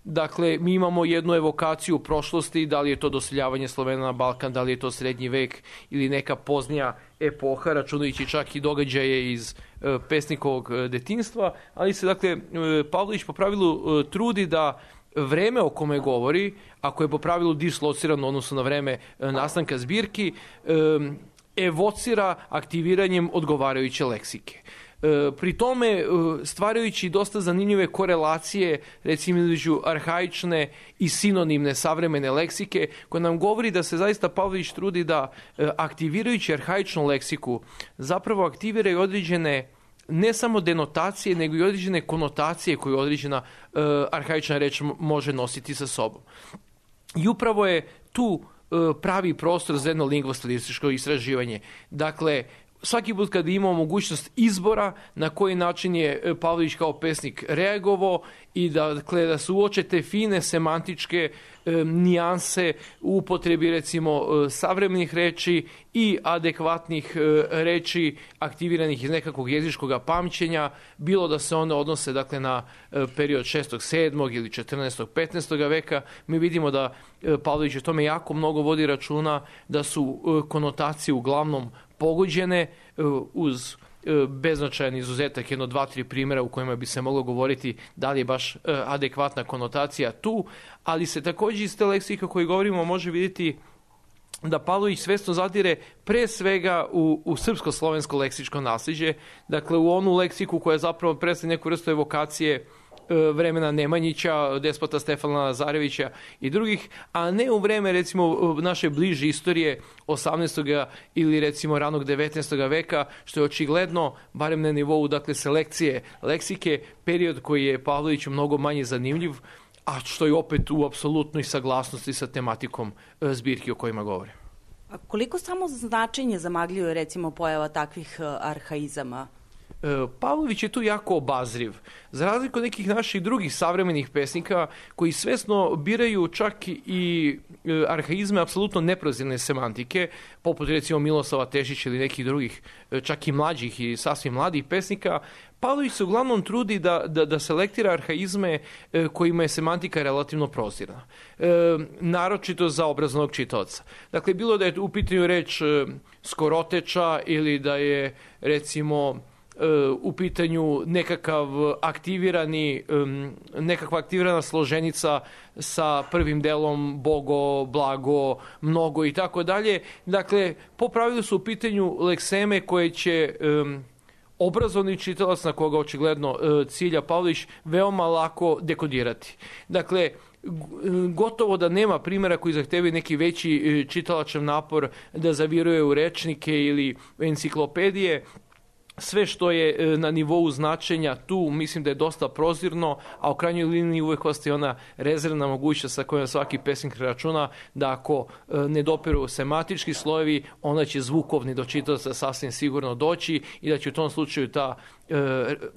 Dakle, mi imamo jednu evokaciju u prošlosti, da li je to doseljavanje Slovena na Balkan, da li je to srednji vek ili neka poznija epoha, računajući čak i događaje iz pesnikovog detinjstva, ali se, dakle, Pavlović po pravilu trudi da vreme o kome govori, ako je po pravilu dislocirano odnosno na vreme nastanka zbirki, evocira aktiviranjem odgovarajuće leksike. Pri tome stvarajući dosta zanimljive korelacije recimo između arhaične i sinonimne savremene leksike, koja nam govori da se zaista Pavlović trudi da aktivirajući arhaičnu leksiku zapravo aktivira i određene ne samo denotacije, nego i određene konotacije koje određena arhaična reč može nositi sa sobom. I upravo je tu pravi prostor za jedno lingvostilističko istraživanje. Dakle, svaki put kada imamo mogućnost izbora na koji način je Pavlović kao pesnik reagovao i da se uoče te fine semantičke nijanse u upotrebi recimo savremenih reči i adekvatnih reči aktiviranih iz nekakvog jezičkog pamćenja, bilo da se one odnose dakle na period 6. 7. ili 14. 15. veka. Mi vidimo da Pavlović o tome jako mnogo vodi računa, da su konotacije uglavnom pogođene uz beznačajan izuzetak, 1, 2, 3 primjera u kojima bi se moglo govoriti da li je baš adekvatna konotacija tu, ali se također iz te leksike o kojoj govorimo može vidjeti da Pavlović svesno zadire pre svega u srpsko-slovensko leksičko nasljeđe, dakle u onu leksiku koja zapravo predstavlja neku vrstu evokacije vremena Nemanjića, despota Stefana Lazarevića i drugih, a ne u vreme recimo naše bliže istorije 18. ili recimo ranog 19. veka, što je očigledno, barem na nivou dakle selekcije leksike, period koji je Pavloviću mnogo manje zanimljiv, a što je opet u apsolutnoj saglasnosti sa tematikom zbirki o kojima govore. A koliko samo značenje zamagljuje recimo pojava takvih arhaizama? Pavlović je tu jako obazriv. Za razliku od nekih naših drugih savremenih pesnika koji svesno biraju čak i arhaizme apsolutno neprozirne semantike, poput recimo Miloslava Tešića ili nekih drugih čak i mlađih i sasvim mladih pesnika, Pavlović se uglavnom trudi da selektira arhaizme kojima je semantika relativno prozirna. Naročito za obrazovnog čitaoca. Dakle, bilo da je u pitanju reč skoroteča ili da je recimo u pitanju nekakva aktivirana složenica sa prvim delom bogo, blago, mnogo i tako dalje. Dakle, po pravilu su u pitanju lekseme koje će obrazovni čitalac, na koga očigledno cilja Pavlović, veoma lako dekodirati. Dakle, gotovo da nema primjera koji zahtevaju neki veći čitalačev napor da zaviruje u rečnike ili enciklopedije. Sve što je na nivou značenja tu mislim da je dosta prozirno, a u krajnjoj liniji uvek ostaje ona rezervna mogućnost sa kojom svaki pesnik računa da ako ne dopiru sematički slojevi, onda će zvukovni do čitaoca sasvim sigurno doći i da će u tom slučaju ta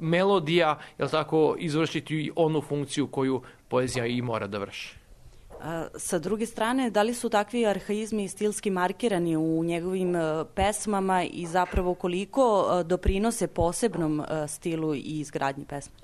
melodija, jel tako, izvršiti onu funkciju koju poezija i mora da vrši. Sa druge strane, da li su takvi arhaizmi stilski markirani u njegovim pesmama i zapravo koliko doprinose posebnom stilu i izgradnji pesme?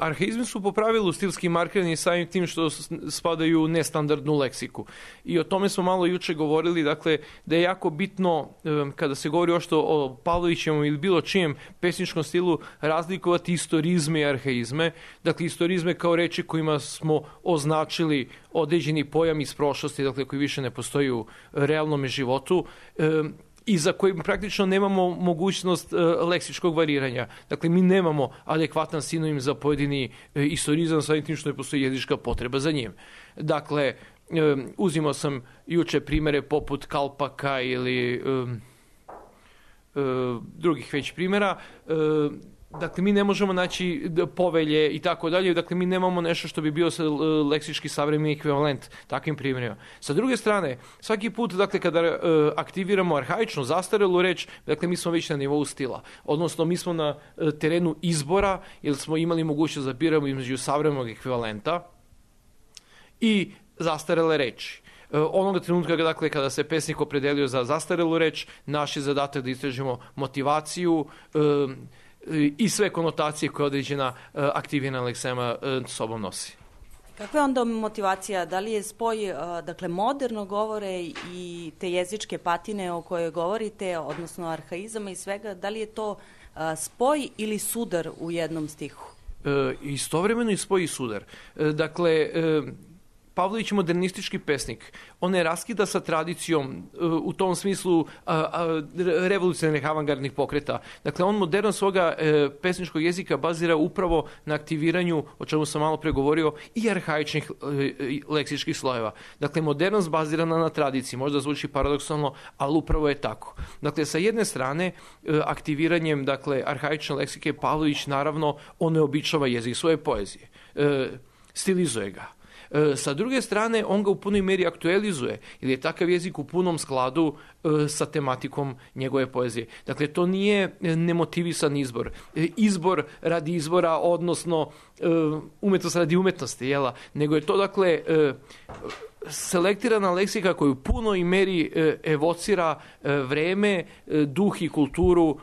Arhaizmi su po pravilu stilski markirani samim tim što spadaju u nestandardnu leksiku. I o tome smo malo juče govorili, dakle, da je jako bitno kada se govori o Pavlovićevom ili bilo čijem pesničkom stilu razlikovati istorizme i arhaizme. Dakle, istorizme kao reči kojima smo označili određeni pojam iz prošlosti, dakle, koji više ne postoji u realnom životu, i za kojim praktično nemamo mogućnost leksičkog variranja. Dakle, mi nemamo adekvatan sinonim za pojedini istorizam, samim tim što ne postoji jezička potreba za njim. Dakle, uzimao sam juče primere poput Kalpaka ili drugih već primjera. Dakle, mi ne možemo naći povelje i tako dalje, dakle, mi nemamo nešto što bi bio leksički savremeni ekvivalent takvim primjerima. Sa druge strane, svaki put, dakle, kada aktiviramo arhaičnu, zastarelu reč, dakle, mi smo već na nivou stila. Odnosno, mi smo na terenu izbora, jer smo imali mogućnost da biramo između savremenog ekvivalenta i zastarele reči. Onoga trenutka, dakle, kada se pesnik opredelio za zastarelu reč, naš je zadatak da istražimo motivaciju i sve konotacije koje određena aktivirana leksema sobom nosi. Kakva je onda motivacija? Da li je spoj, dakle, moderno govore i te jezičke patine o kojoj govorite, odnosno arhaizama i svega, da li je to spoj ili sudar u jednom stihu? istovremeno i spoji sudar. Dakle, Pavlović je modernistički pesnik. On ne raskida sa tradicijom u tom smislu revolucionarnih avangardnih pokreta. Dakle, on moderno svoga pesničkog jezika bazira upravo na aktiviranju, o čemu sam malo pregovorio, i arhaičnih leksičkih slojeva. Dakle, modernost bazirana na tradiciji. Možda zvuči paradoksalno, ali upravo je tako. Dakle, sa jedne strane, aktiviranjem arhaične leksike, Pavlović naravno oneobičava jezik svoje poezije. Stilizuje ga. Sa druge strane, on ga u punoj meri aktualizuje, jer je takav jezik u punom skladu sa tematikom njegove poezije. Dakle, to nije nemotivisan izbor. Izbor radi izbora, odnosno umetnost radi umetnosti, jela? Nego je to, dakle, selektirana leksika koju u punoj meri evocira vreme, duh i kulturu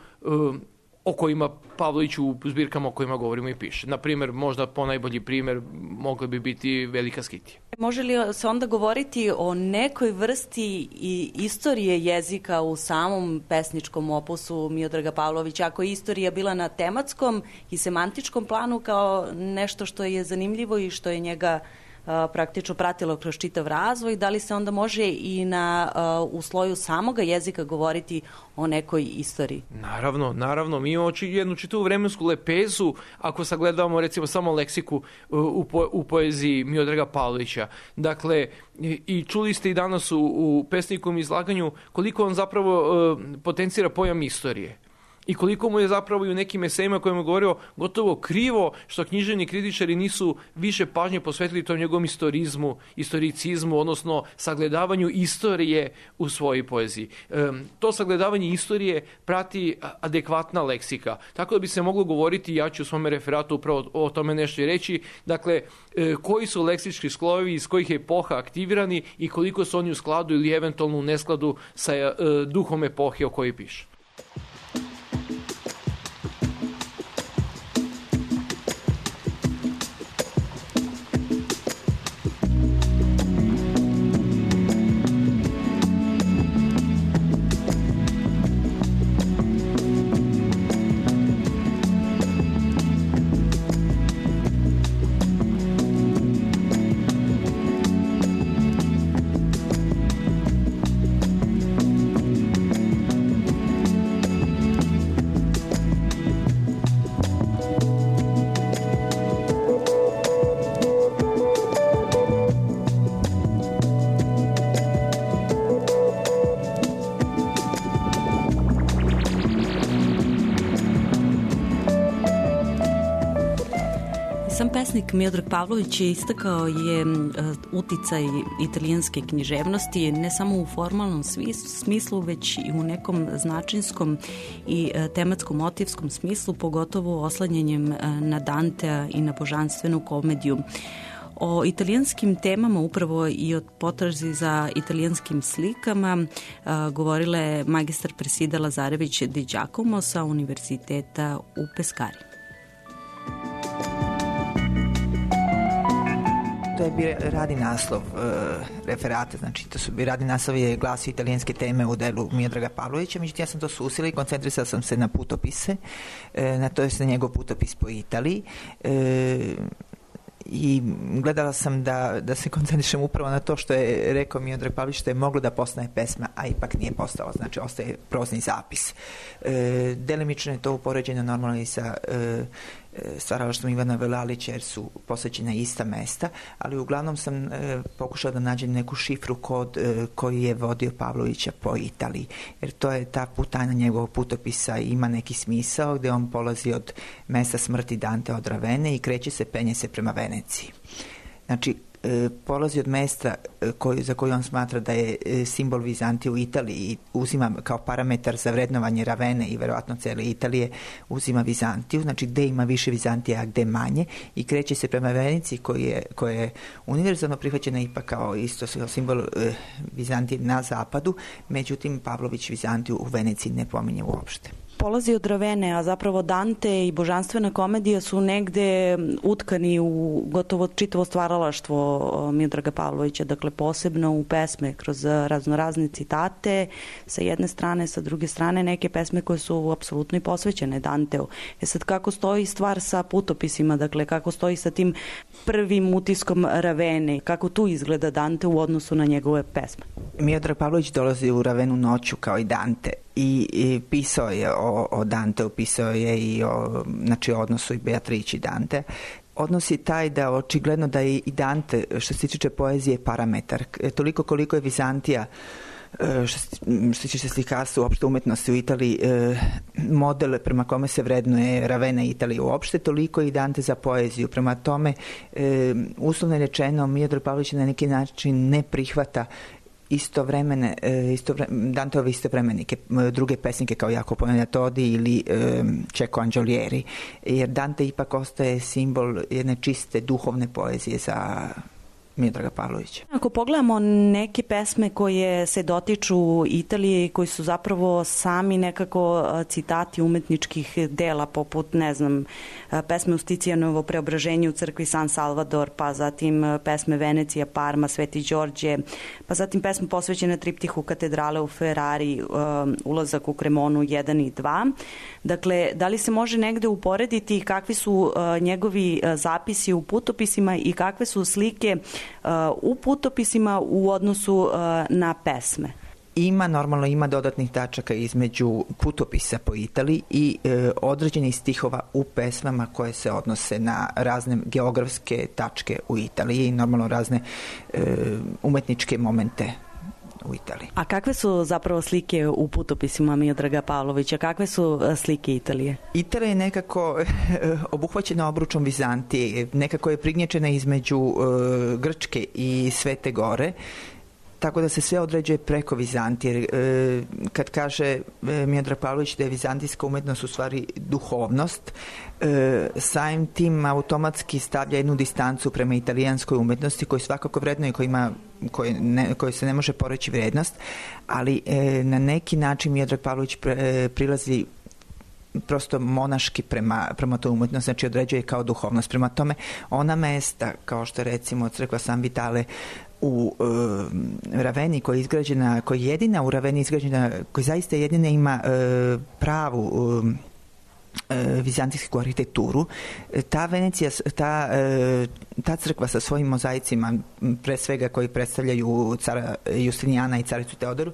o kojima Pavlović u zbirkama o kojima govorimo i piše. Naprimjer, možda ponajbolji primjer mogla bi biti Velika Skitija. Može li se onda govoriti o nekoj vrsti i istorije jezika u samom pesničkom opusu Miodraga Pavlovića? Ako je istorija bila na tematskom i semantičkom planu kao nešto što je zanimljivo i što je njega praktično pratilo kroz čitav razvoj, da li se onda može i u sloju samoga jezika govoriti o nekoj istoriji? Naravno. Mi imamo jednu čitavu vremensku lepezu, ako sagledavamo recimo samo leksiku u poeziji Miodraga Pavlovića. Dakle, i čuli ste i danas u pesnikom izlaganju koliko on zapravo potencira pojam istorije. I koliko mu je zapravo i u nekim esejima kojima je govorio gotovo krivo što književni kritičari nisu više pažnje posvetili tom njegovom istoricizmu, odnosno sagledavanju istorije u svojoj poeziji. To sagledavanje istorije prati adekvatna leksika. Tako da bi se moglo govoriti, ja ću u svom referatu upravo o tome nešto i reći, dakle, koji su leksički sklojevi, iz kojih je epoha aktivirani i koliko su oni u skladu ili eventualno u neskladu sa duhom epohe o kojoj piše. Pesnik Miodrag Pavlović je istakao je uticaj italijanske književnosti ne samo u formalnom smislu, već i u nekom značinskom i tematsko-motivskom smislu, pogotovo oslanjanjem na Dantea i na božanstvenu komediju. O italijanskim temama, upravo i o potrazi za italijanskim slikama, govorila je magistar Presida Lazarević Di Giacomo sa Univerziteta u Peskari. To je bio radni naslov referata, znači to su radni naslov je glasio italijanske teme u delu Miodraga Pavlovića, međutim ja sam to susila i koncentrisala sam se na putopise, na njegov putopis po Italiji. I gledala sam da se koncentrišem upravo na to što je rekao Miodrag Pavlović, što je moglo da postane pesma, a ipak nije postalo, znači ostaje prozni zapis. Delimično je to upoređeno normalno i sa stvaralaštvom Ivana Velalića, jer su posvećena ista mesta, ali uglavnom sam pokušala da nađem neku šifru kod koji je vodio Pavlovića po Italiji, jer to je ta putanja njegovog putopisa, ima neki smisao gde on polazi od mesta smrti Dante od Ravene i kreće se, penje se prema Veneciji. Znači, polazi od mesta za koju on smatra da je simbol Vizantije u Italiji i uzima kao parametar za vrednovanje Ravene i verovatno cele Italije, uzima Vizantiju, znači gde ima više Vizantije, a gde manje, i kreće se prema Veneciji koja je univerzalno prihvaćena ipak kao isto simbol Vizantije na zapadu, međutim Pavlović Vizantiju u Veneciji ne pominje uopšte. polazi od Ravene, a zapravo Dante i božanstvena komedija su negde utkani u gotovo čitavo stvaralaštvo Miodraga Pavlovića, dakle posebno u pesme kroz raznorazne citate sa jedne strane, sa druge strane neke pesme koje su apsolutno i posvećene Danteu. Sad kako stoji stvar sa putopisima, dakle kako stoji sa tim prvim utiskom Ravene, kako tu izgleda Dante u odnosu na njegove pesme? Miodrag Pavlović dolazi u Ravenu noću kao i Dante i pisao je o Danteu, pisao je i o odnosu i Beatrici i Dante. Odnos je taj da očigledno da je i Dante, što se tiče poezije, parametar. Toliko koliko je Vizantija, što se tiče slikarstva, uopšte umetnosti u Italiji, model prema kome se vrednuje Ravena i Italija uopšte, toliko i Dante za poeziju. Prema tome, uslovno rečeno, Miodrag Pavlović na neki način ne prihvata Danteove istovremenike, druge pesnike kao Jacopo Neatodi ili Cecco Angiolieri, jer Dante ipak ostaje simbol jedne čiste duhovne poezije za Miodraga Pavlovića. Ako pogledamo neke pesme koje se dotiču Italije i koji su zapravo sami nekako citati umetničkih dela, poput, ne znam, pesme Usticijanovo Preobraženje u crkvi San Salvador, pa zatim pesme Venecija, Parma, Sveti Đorđe, pa zatim pesme posvećene triptihu Katedrale u Ferrari, Ulazak u Cremonu 1 i 2. Dakle, da li se može negde uporediti kakvi su njegovi zapisi u putopisima i kakve su slike u putopisima u odnosu na pesme? Ima dodatnih tačaka između putopisa po Italiji i određenih stihova u pesmama koje se odnose na razne geografske tačke u Italiji i normalno razne umetničke momente u Italiji. A kakve su zapravo slike u putopisima Miodraga Pavlovića? Kakve su slike Italije? Italija je nekako obuhvaćena obručom Vizantije, nekako je prignječena između Grčke i Svete Gore, tako da se sve određuje preko Vizantije. Kad kaže Miodrag Pavlović da je vizantijska umetnost u stvari duhovnost, samim tim automatski stavlja jednu distancu prema italijanskoj umetnosti koju svakako vrednuje, koji se ne može poreći vrednost, ali na neki način Miodrag Pavlović prilazi prosto monaški prema toj umetnosti, znači određuje kao duhovnost. Prema tome, ona mesta, kao što je recimo crkva San Vitale u Raveni, koja je izgrađena, koja je jedina u Raveni izgrađena, koja zaista jedina ima pravu vizantijsku arhitekturu, ta Venecija, ta crkva sa svojim mozaicima, pre svega koji predstavljaju cara Justinijana i caricu Teodoru,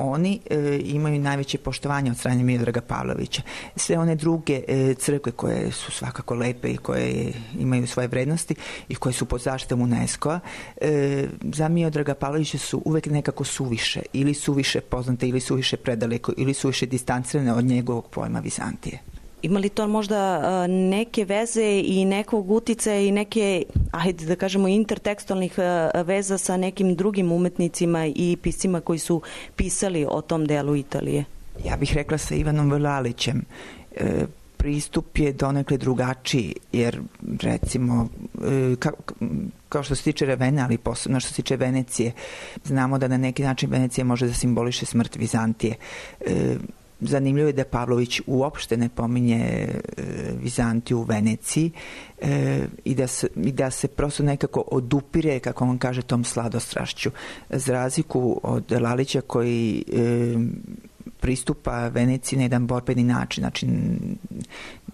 oni imaju najveće poštovanje od strane Miodraga Pavlovića. Sve one druge crkve koje su svakako lepe i koje imaju svoje vrednosti i koje su pod zaštitom UNESCO-a, za Miodraga Pavlovića su uvek nekako suviše, ili suviše poznate, ili suviše predaleko, ili suviše distancirane od njegovog pojma Vizantije. Ima li to možda neke veze i nekog uticaja i neke, ajde da kažemo, intertekstualnih veza sa nekim drugim umetnicima i piscima koji su pisali o tom delu Italije? Ja bih rekla sa Ivanom Vlalićem. Pristup je donekle drugačiji, jer recimo, kao što se tiče Ravene, ali posebno što se tiče Venecije, znamo da na neki način Venecija može da simboliše smrt Vizantije. Zanimljivo je da Pavlović uopšte ne pominje Vizantiju u Veneciji i da se prosto nekako odupire, kako on kaže, tom sladostrašću. Za razliku od Lalića koji pristupa Veneciji na jedan borbeni način, znači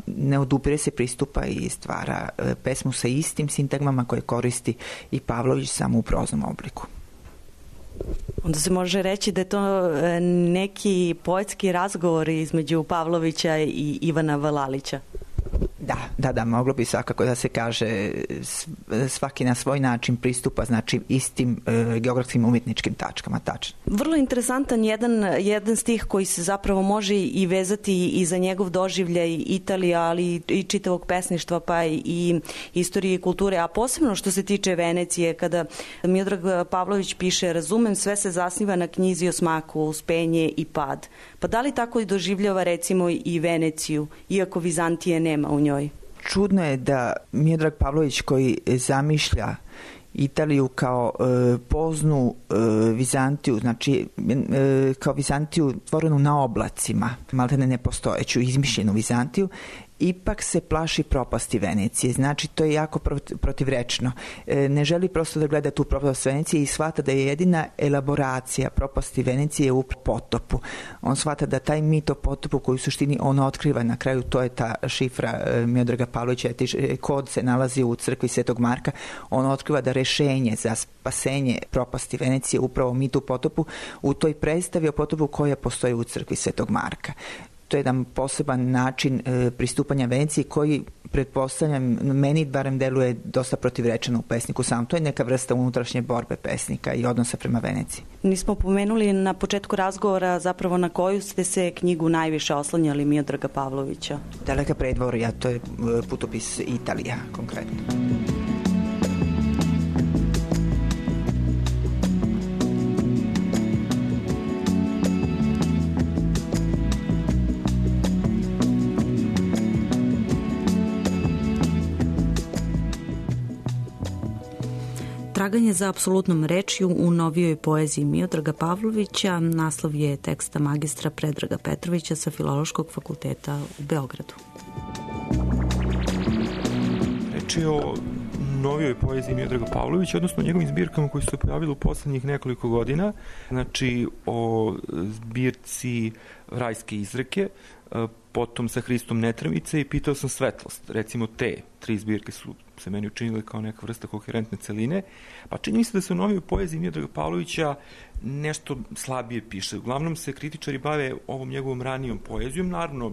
ne odupire se, pristupa i stvara pesmu sa istim sintagmama koje koristi i Pavlović samo u proznom obliku. Onda se može reći da je to neki poetski razgovor između Pavlovića i Ivana Vlalića. Da, moglo bi svakako da se kaže, svaki na svoj način pristupa, znači istim geografskim umjetničkim tačkama, tačno. Vrlo interesantan jedan stih koji se zapravo može i vezati i za njegov doživljaj Italije, ali i čitavog pesništva, pa i istorije i kulture, a posebno što se tiče Venecije, kada Miodrag Pavlović piše: razumem, sve se zasniva na knjizi o smaku, uspenje i pad. Pa da li tako i doživljava recimo i Veneciju, iako Vizantije nema u njoj? Čudno je da Miodrag Pavlović, koji zamišlja Italiju kao poznu Vizantiju, znači kao Vizantiju stvorenu na oblacima, maltene nepostojeću, izmišljenu Vizantiju, ipak se plaši propasti Venecije. Znači, to je jako protivrečno. Ne želi prosto da gleda tu propast Venecije i shvata da je jedina elaboracija propasti Venecije u potopu. On shvata da taj mit o potopu koji u suštini on otkriva na kraju, to je ta šifra Miodraga Pavlovića, kod se nalazi u crkvi Svetog Marka, on otkriva da rešenje za spasenje propasti Venecije upravo mit u potopu u toj predstavi o potopu koja postoji u crkvi Svetog Marka. To je jedan poseban način pristupanja Veneciji koji, pretpostavljam, meni barem deluje dosta protivrečeno u pesniku sam. To je neka vrsta unutrašnje borbe pesnika i odnosa prema Veneciji. Nismo pomenuli na početku razgovora zapravo na koju ste se knjigu najviše oslanjali Miodraga Pavlovića. Daleka predvorja, to je putopis Italija konkretno. Traganje za apsolutnom rečju u novijoj poeziji Miodraga Pavlovića, naslov je teksta magistra Predraga Petrovića sa Filološkog fakulteta u Beogradu. Reč je o novijoj poeziji Miodraga Pavlovića, odnosno o njegovim zbirkama koji su se pojavili u poslednjih nekoliko godina, znači o zbirci Rajske izreke, potom Sa Hristom Netramice i Pitao sam svetlost. Recimo te 3 zbirke su se meni učinile kao neka vrsta koherentne celine, pa čini mi se da se u novijoj poeziji Miodraga Pavlovića nešto slabije piše. Uglavnom se kritičari bave ovom njegovom ranijom poezijom, naravno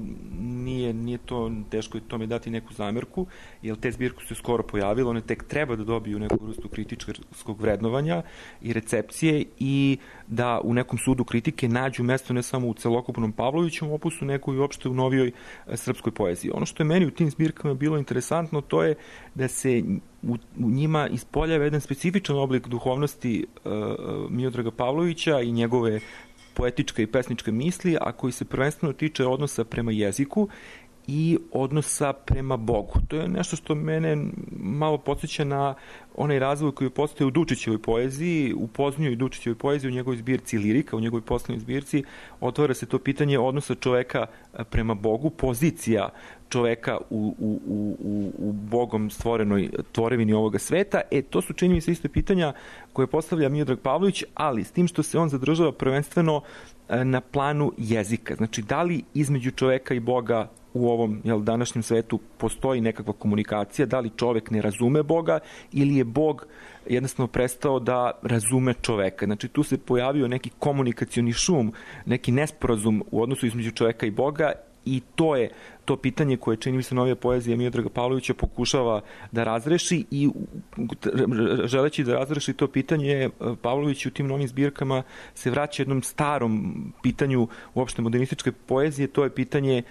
nije to teško je tome dati neku zamerku, jer te zbirke su se skoro pojavile, one tek treba da dobiju neku vrstu kritičarskog vrednovanja i recepcije i da u nekom sudu kritike nađu mesto ne samo u celokupnom Pavlovićevom opusu, nego i uopšte u novijoj srpskoj poeziji. Ono što je meni u tim zbirkama bilo interesantno, to je da se u njima ispoljava jedan specifičan oblik duhovnosti Miodraga Pavlovića i njegove poetičke i pesničke misli, a koji se prvenstveno tiče odnosa prema jeziku i odnosa prema Bogu. To je nešto što mene malo podsjeća na onaj razvoj koji postoji u Dučićevoj poeziji, u poznijoj Dučićevoj poeziji, u njegovoj zbirci Lirika, u njegovoj poslednjoj zbirci, otvara se to pitanje odnosa čoveka prema Bogu, pozicija čoveka u Bogom stvorenoj tvorevini ovoga sveta. To su, čini mi se, isto pitanja koje postavlja Miodrag Pavlović, ali s tim što se on zadržava prvenstveno na planu jezika. Znači, da li između čoveka i Boga u ovom današnjem svetu postoji nekakva komunikacija, da li čovek ne razume Boga ili je Bog jednostavno prestao da razume čoveka. Znači, tu se pojavio neki komunikacioni šum, neki nesporazum u odnosu između čoveka i Boga, i to je to pitanje koje, čini mi se, novija poezija Miodraga Pavlovića pokušava da razreši, i želeći da razreši to pitanje, Pavlović u tim novim zbirkama se vraća jednom starom pitanju uopšte modernističke poezije. To je pitanje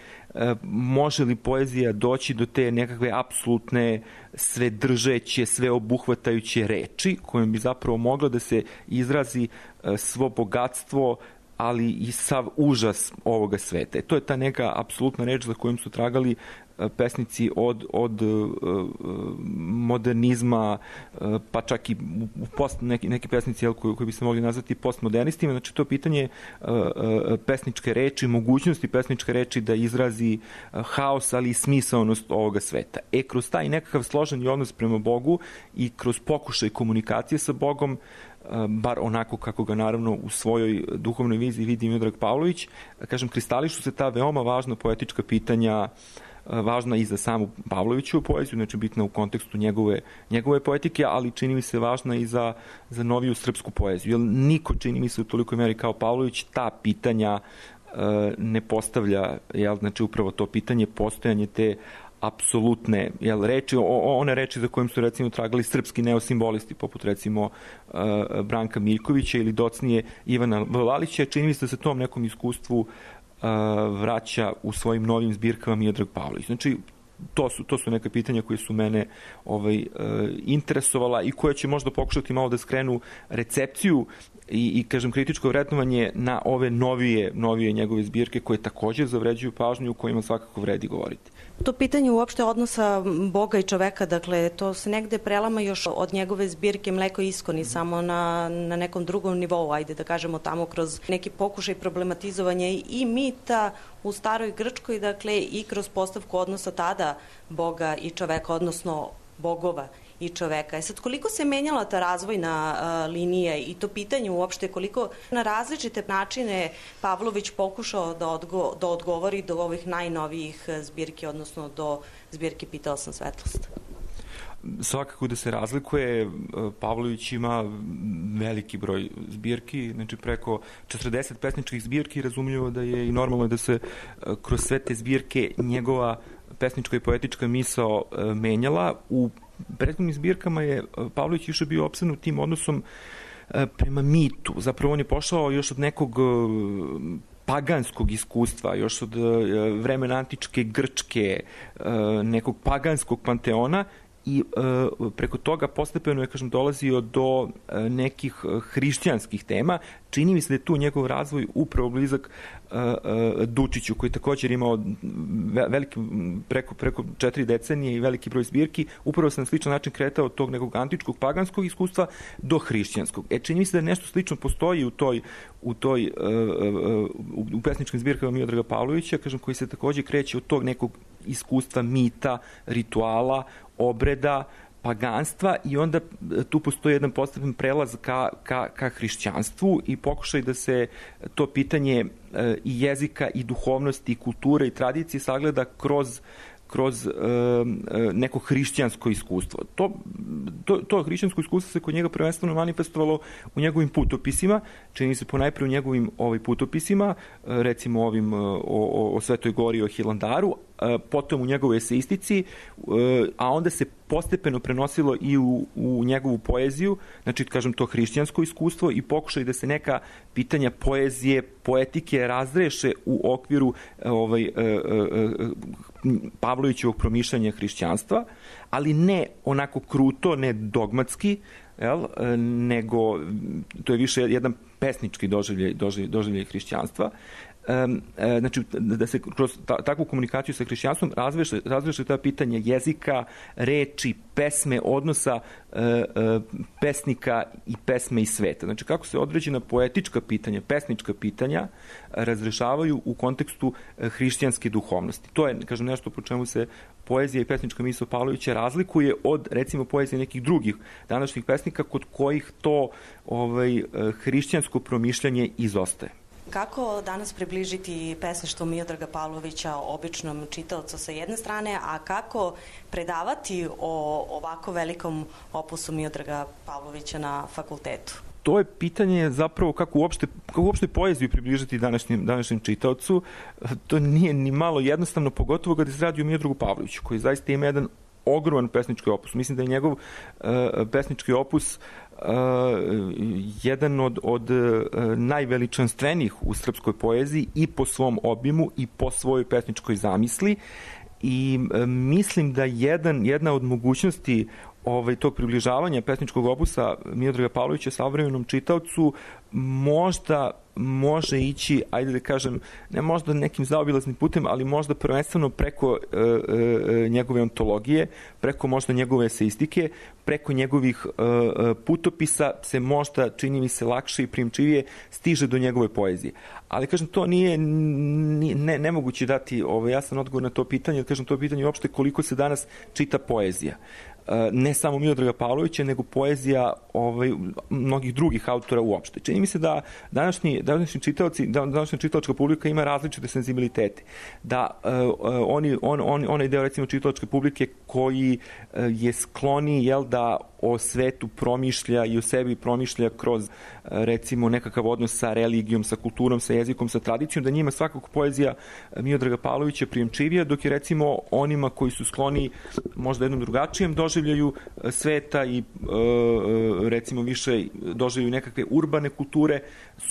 može li poezija doći do te nekakve apsolutne, svedržeće, sveobuhvatajuće reči kojom bi zapravo mogla da se izrazi svo bogatstvo, ali i sav užas ovoga sveta. To je ta neka apsolutna reč za kojom su tragali pesnici od modernizma, pa čak i neki pesnici koji bi se mogli nazvati postmodernistima. Znači, to pitanje pesničke reči, mogućnosti pesničke reči da izrazi haos, ali i smisaonost ovoga sveta. Kroz taj nekakav složeni odnos prema Bogu i kroz pokušaj komunikacije sa Bogom, bar onako kako ga naravno u svojoj duhovnoj viziji vidi Miodrag Pavlović, kažem, kristališu se ta veoma važna poetička pitanja, važna i za samu Pavlovićevu poeziju, znači bitna u kontekstu njegove poetike, ali čini mi se važna i za noviju srpsku poeziju. Jer niko, čini mi se, u tolikoj meri kao Pavlović ta pitanja ne postavlja, znači upravo to pitanje postojanje te apsolutne reči, one reči za kojim su recimo tragali srpski neosimbolisti, poput recimo Branka Miljkovića ili docnije Ivana Valića. Čini mi se da se tom nekom iskustvu vraća u svojim novim zbirkama Miodrag Pavlović. Znači, to su neka pitanja koje su mene interesovala i koje će možda pokušati malo da skrenu recepciju i kažem, kritičko vrednovanje na ove novije njegove zbirke koje također zavređuju pažnju, o kojima svakako vredi govoriti. To pitanje uopšte odnosa Boga i čoveka, dakle, to se negde prelama još od njegove zbirke Mleko i iskoni, samo na nekom drugom nivou, ajde da kažemo tamo kroz neki pokušaj problematizovanja i mita u staroj Grčkoj, dakle, i kroz postavku odnosa tada Boga i čoveka, odnosno bogova i čoveka. Sad, koliko se menjala ta razvojna linija i to pitanje uopšte, koliko na različite načine Pavlović pokušao da odgovori do ovih najnovijih zbirki, odnosno do zbirke Pitala sam svetlost? Svakako da se razlikuje. Pavlović ima veliki broj zbirki, znači preko 40 pesničkih zbirki, razumljivo da je i normalno da se kroz sve te zbirke njegova pesnička i poetička misao menjala. U prethodnim zbirkama je Pavlović više bio opsednut tim odnosom prema mitu. Zapravo on je pošao još od nekog paganskog iskustva, još od vremena antičke Grčke, nekog paganskog panteona i preko toga postepeno je, kažem, dolazio do nekih hrišćanskih tema. Čini mi se da je tu njegov razvoj upravo blizak Dučiću, koji također imao preko 4 decenije i veliki broj zbirki, upravo se na sličan način kretao od tog nekog antičkog paganskog iskustva do hrišćanskog. Čini mi se da nešto slično postoji u pesničkim zbirkama Miodraga Pavlovića, kažem, koji se također kreće od tog nekog iskustva mita, rituala, obreda, paganstva i onda tu postoji jedan postepen prelaz ka hrišćanstvu i pokušaj da se to pitanje i jezika i duhovnosti i kulture i tradicije sagleda kroz neko hrišćansko iskustvo. To hrišćansko iskustvo se kod njega prvenstveno manifestovalo u njegovim putopisima, čini se ponajpre u njegovim putopisima, recimo ovim o Svetoj Gori, o Hilandaru, potom u njegovoj eseistici, a onda se postepeno prenosilo i u njegovu poeziju, znači, kažem, to hrišćansko iskustvo i pokušaj da se neka pitanja poezije, poetike razreše u okviru Pavlovićevog promišljanja hrišćanstva, ali ne onako kruto, ne dogmatski, nego to je više jedan pesnički doživljaj hrišćanstva. Znači, da se kroz takvu komunikaciju sa hrišćanstvom razreše ta pitanja jezika, reči, pesme, odnosa pesnika i pesme i sveta. Znači, kako se određena poetička pitanja, pesnička pitanja razrešavaju u kontekstu hrišćanske duhovnosti. To je, kažem, nešto po čemu se poezija i pesnička misao Pavlovića razlikuje od, recimo, poezije nekih drugih današnjih pesnika kod kojih to hrišćansko promišljanje izostaje. Kako danas približiti pesništvo Miodraga Pavlovića običnom čitaocu sa jedne strane, a kako predavati o ovako velikom opusu Miodraga Pavlovića na fakultetu? To je pitanje zapravo kako uopšte poeziju približiti današnjem čitaocu. To nije ni malo jednostavno, pogotovo kada se radi o Miodragu Pavloviću, koji zaista ima jedan ogroman pesnički opus. Mislim da je njegov pesnički opus jedan od najveličanstvenijih u srpskoj poeziji i po svom obimu i po svojoj pesničkoj zamisli i mislim da jedna od mogućnosti tog približavanja pesničkog opusa Miodraga Pavlovića savremenom čitaocu možda može ići, ajde da kažem, ne možda nekim zaobilaznim putem, ali možda prvenstveno preko njegove ontologije, preko možda njegove eseistike, preko njegovih putopisa se možda, čini mi se, lakše i primčivije stiže do njegove poezije. Ali, kažem, to nije nemoguće dati jasan odgovor na to pitanje, kažem, to pitanje uopšte koliko se danas čita poezija. Ne samo Miodraga Pavlovića, nego poezija mnogih drugih autora uopšte. Čini mi se da današnji čitaoci, današnja čitalačka publika ima različite senzibilitete. Da onaj deo, recimo, čitalačke publike koji je skloni, da o svetu promišlja i o sebi promišlja kroz recimo nekakav odnos sa religijom, sa kulturom, sa jezikom, sa tradicijom, da njima svakako poezija Miodraga Pavlovića prijemčivija, dok je recimo onima koji su skloni možda jednom drugačijem doživljaju sveta i recimo više doživljaju nekakve urbane kulture,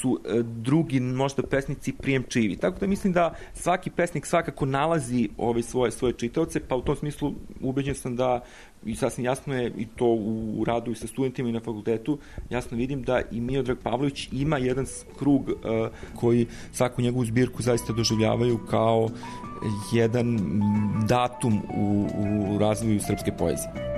su drugi možda pesnici prijemčivi. Tako da mislim da svaki pesnik svakako nalazi svoje čitaoce, pa u tom smislu ubeđen sam da, i sasvim jasno je i to u radu i sa studentima i na fakultetu, jasno vidim da i Miodrag Pavlović ima jedan krug koji svaku njegovu zbirku zaista doživljavaju kao jedan datum u razvoju srpske poezije.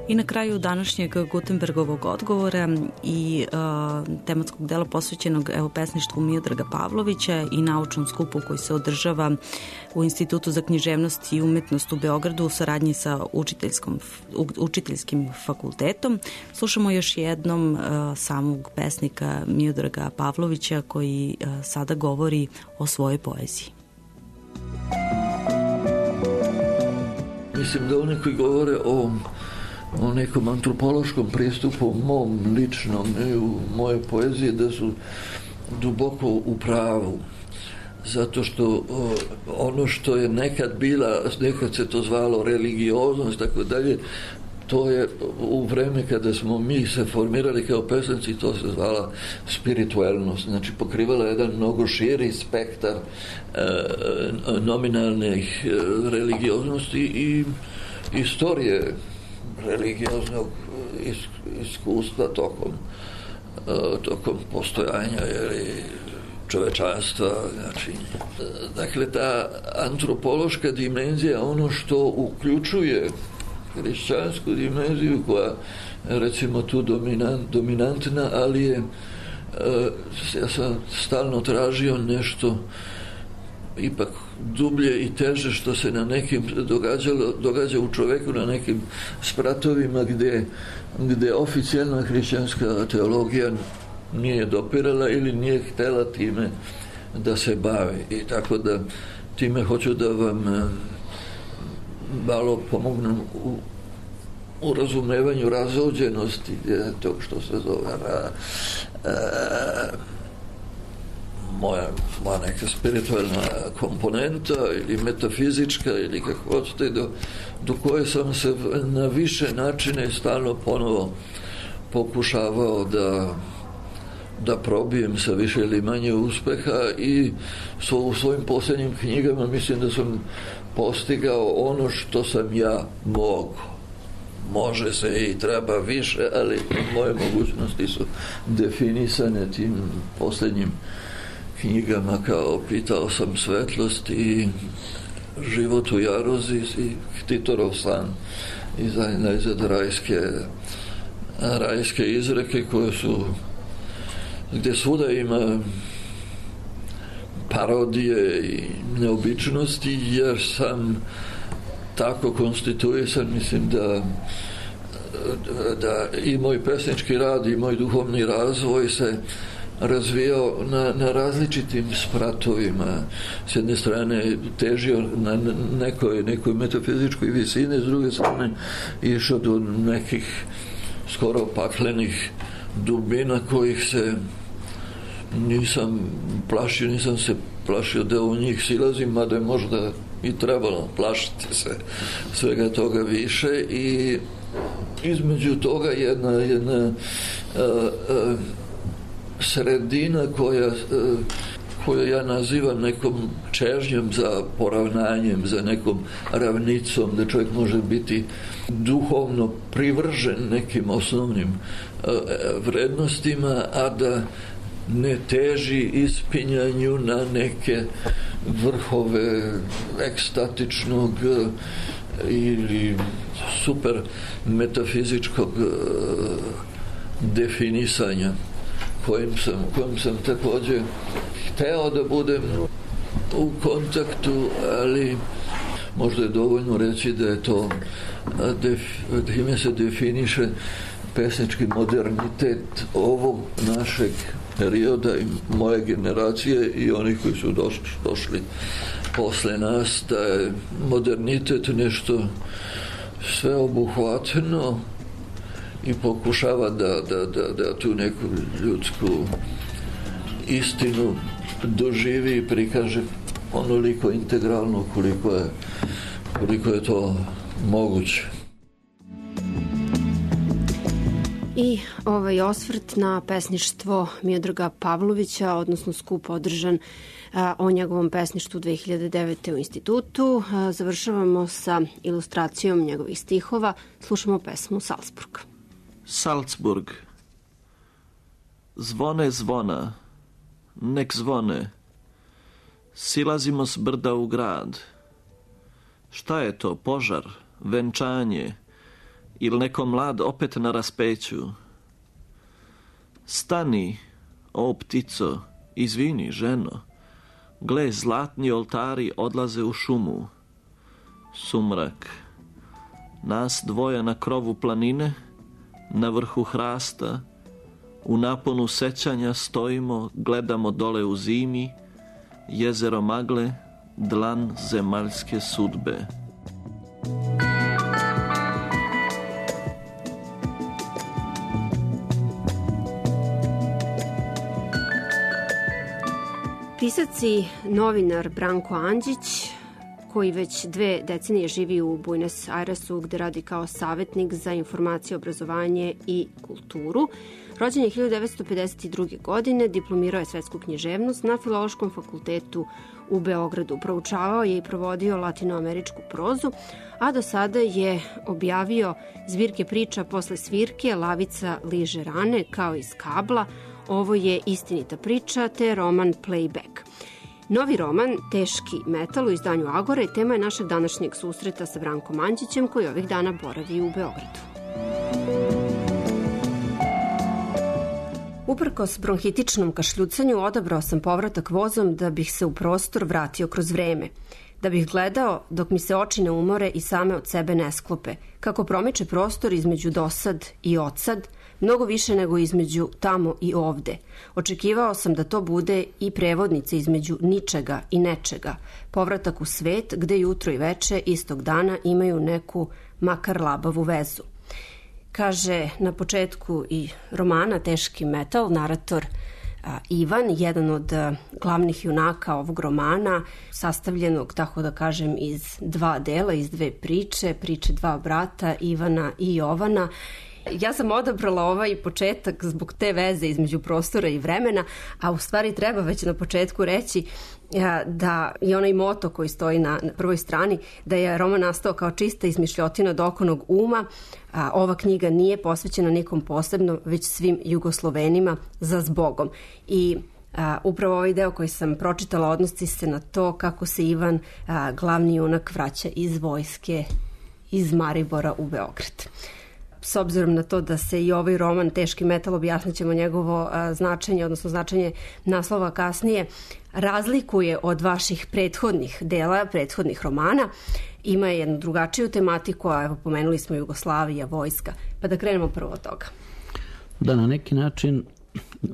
I na kraju današnjeg Gutenbergovog odgovora i tematskog dela posvećenog pesništvu Miodraga Pavlovića i naučnom skupu koji se održava u Institutu za književnost i umetnost u Beogradu u saradnji sa učiteljskim fakultetom, slušamo još jednom samog pesnika Miodraga Pavlovića koji sada govori o svojoj poeziji. Mislim da oni koji govore o nekom antropološkom pristupu mom ličnom i u moje poezije, da su duboko u pravu, zato što ono što je nekad se to zvalo religioznost, tako dalje, to je u vreme kada smo mi se formirali kao pesnici, to se zvala spiritualnost, znači pokrivala jedan mnogo širi spektar nominalnih religioznosti i istorije religioznog iskustva tokom postojanja čovečanstva. Znači, dakle, ta antropološka dimenzija, ono što uključuje hrišćansku dimenziju, koja je recimo tu dominantna, ali je, ja sam stalno tražio nešto ipak dublje i teže što se na nekim događa u čoveku, na nekim spratovima gde oficijalna hrišćanska teologija nije dopirala ili nije htela time da se bavi. I tako da time hoću da vam malo pomognem u razumevanju razođenosti tog što se zove moja neka spiritualna komponenta ili metafizička ili kako hoćete, do koje sam se na više načine stalno ponovo pokušavao da probijem sa više ili manje uspeha i u svojim posljednjim knjigama mislim da sam postigao ono što sam ja mogu. Može se i treba više, ali moje mogućnosti su definisane tim posljednjim knjigama kao Pitao sam svetlost i Život u jarozi i Titorov san i najzad rajske izreke koje su gdje svuda ima parodije i neobičnosti, jer sam tako konstituisan, mislim da i moj pesnički rad i moj duhovni razvoj se razvijao na različitim spratovima. S jedne strane težio na nekoj metafizičkoj visini, s druge strane išao do nekih skoro paklenih dubina kojih se nisam se plašio da u njih silazim, mada je možda i trebalo plašiti se svega toga više, i između toga jedna sredina koju ja nazivam nekom čežnjom za poravnanjem, za nekom ravnicom, da čovjek može biti duhovno privržen nekim osnovnim vrednostima, a da ne teži ispinjanju na neke vrhove ekstatičnog ili super metafizičkog definisanja kojim sam također hteo da budem u kontaktu, ali možda je dovoljno reći da je to time se definiše pesnički modernitet ovog našeg perioda i moje generacije i onih koji su došli posle nas, da je modernitet nešto sveobuhvatno i pokušava da tu neku ljudsku istinu doživi i prikaže onoliko integralno koliko je to moguće. I ovaj osvrt na pesništvo Miodraga Pavlovića, odnosno skup održan o njegovom pesništvu 2009. u institutu. Završavamo sa ilustracijom njegovih stihova. Slušamo pesmu Salzburg. Salzburg. Zvone zvona, nek zvone. Silazimo s brda u grad. Šta je to, požar, venčanje ili neko mlad opet na raspeću? Stani, o ptico, izvini, ženo. Gle, zlatni oltari odlaze u šumu. Sumrak. Nas dvoje na krovu planine, na vrhu hrasta, u naponu sećanja stojimo, gledamo dole u zimi, jezero magle, dlan zemaljske sudbe. Pisac i novinar Branko Andžić, koji već 2 decenije živi u Buenos Airesu, gde radi kao savjetnik za informacije, obrazovanje i kulturu. Rođen je 1952. godine, diplomirao je svetsku književnost na Filološkom fakultetu u Beogradu. Proučavao je i provodio latinoameričku prozu, a do sada je objavio zbirke priča Posle svirke, Lavica liže rane, kao iz kabla, Ovo je istinita priča, te roman Playback. Novi roman, Teški metal, u izdanju Agore, tema je našeg današnjeg susreta sa Brankom Andžićem, koji ovih dana boravi u Beogradu. Uprkos bronhitičnom kašljucanju odabrao sam povratak vozom da bih se u prostor vratio kroz vreme. Da bih gledao dok mi se oči ne umore i same od sebe ne sklope, kako promiče prostor između dosad i odsad, mnogo više nego između tamo i ovde. Očekivao sam da to bude i prevodnica između ničega i nečega, povratak u svet gde jutro i veče istog dana imaju neku makar labavu vezu. Kaže na početku i romana Teški metal narator Ivan, jedan od glavnih junaka ovog romana, sastavljenog, tako da kažem, iz 2 dela, iz 2 priče 2 brata, Ivana i Jovana. Ja sam odabrala ovaj početak zbog te veze između prostora i vremena, a u stvari treba već na početku reći da je onaj moto koji stoji na prvoj strani, da je roman nastao kao čista izmišljotina dokonog uma. Ova knjiga nije posvećena nikom posebno, već svim Jugoslovenima za zbogom. I upravo ovaj deo koji sam pročitala odnosi se na to kako se Ivan, glavni junak, vraća iz vojske iz Maribora u Beograd. S obzirom na to da se i ovaj roman Teški metal, objasnit ćemo njegovo značenje, odnosno značenje naslova kasnije, razlikuje od vaših prethodnih dela, prethodnih romana. Ima jednu drugačiju tematiku, a evo pomenuli smo Jugoslavija, vojska. Pa da krenemo prvo od toga. Da, na neki način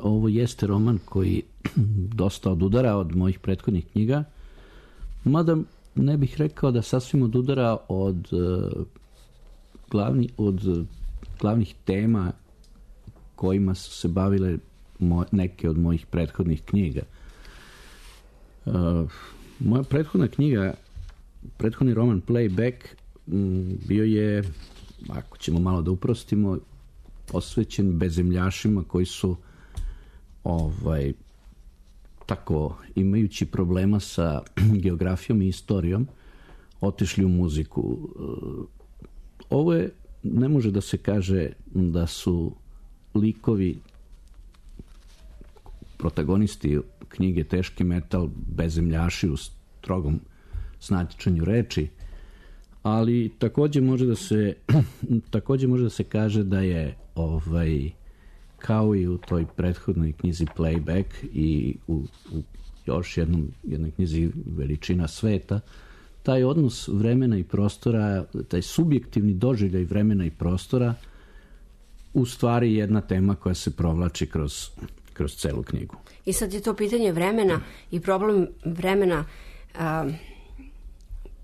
ovo jeste roman koji dosta odudara od mojih prethodnih knjiga, mada ne bih rekao da sasvim odudara od glavnih tema kojima su se bavile neke od mojih prethodnih knjiga. Moja prethodna knjiga, prethodni roman Playback, bio je, ako ćemo malo da uprostimo, posvećen bezemljašima koji su tako, imajući problema sa geografijom i istorijom, otišli u muziku. Ovo je, ne može da se kaže da su likovi, protagonisti knjige Teški metal, bezemljaši u strogom značenju reči, ali takođe može da se kaže da je kao i u toj prethodnoj knjizi Playback i u još jednoj knjizi Veličina sveta, taj odnos vremena i prostora, taj subjektivni doživljaj vremena i prostora, u stvari jedna tema koja se provlači kroz kroz celu knjigu. I sad je to pitanje vremena i problem vremena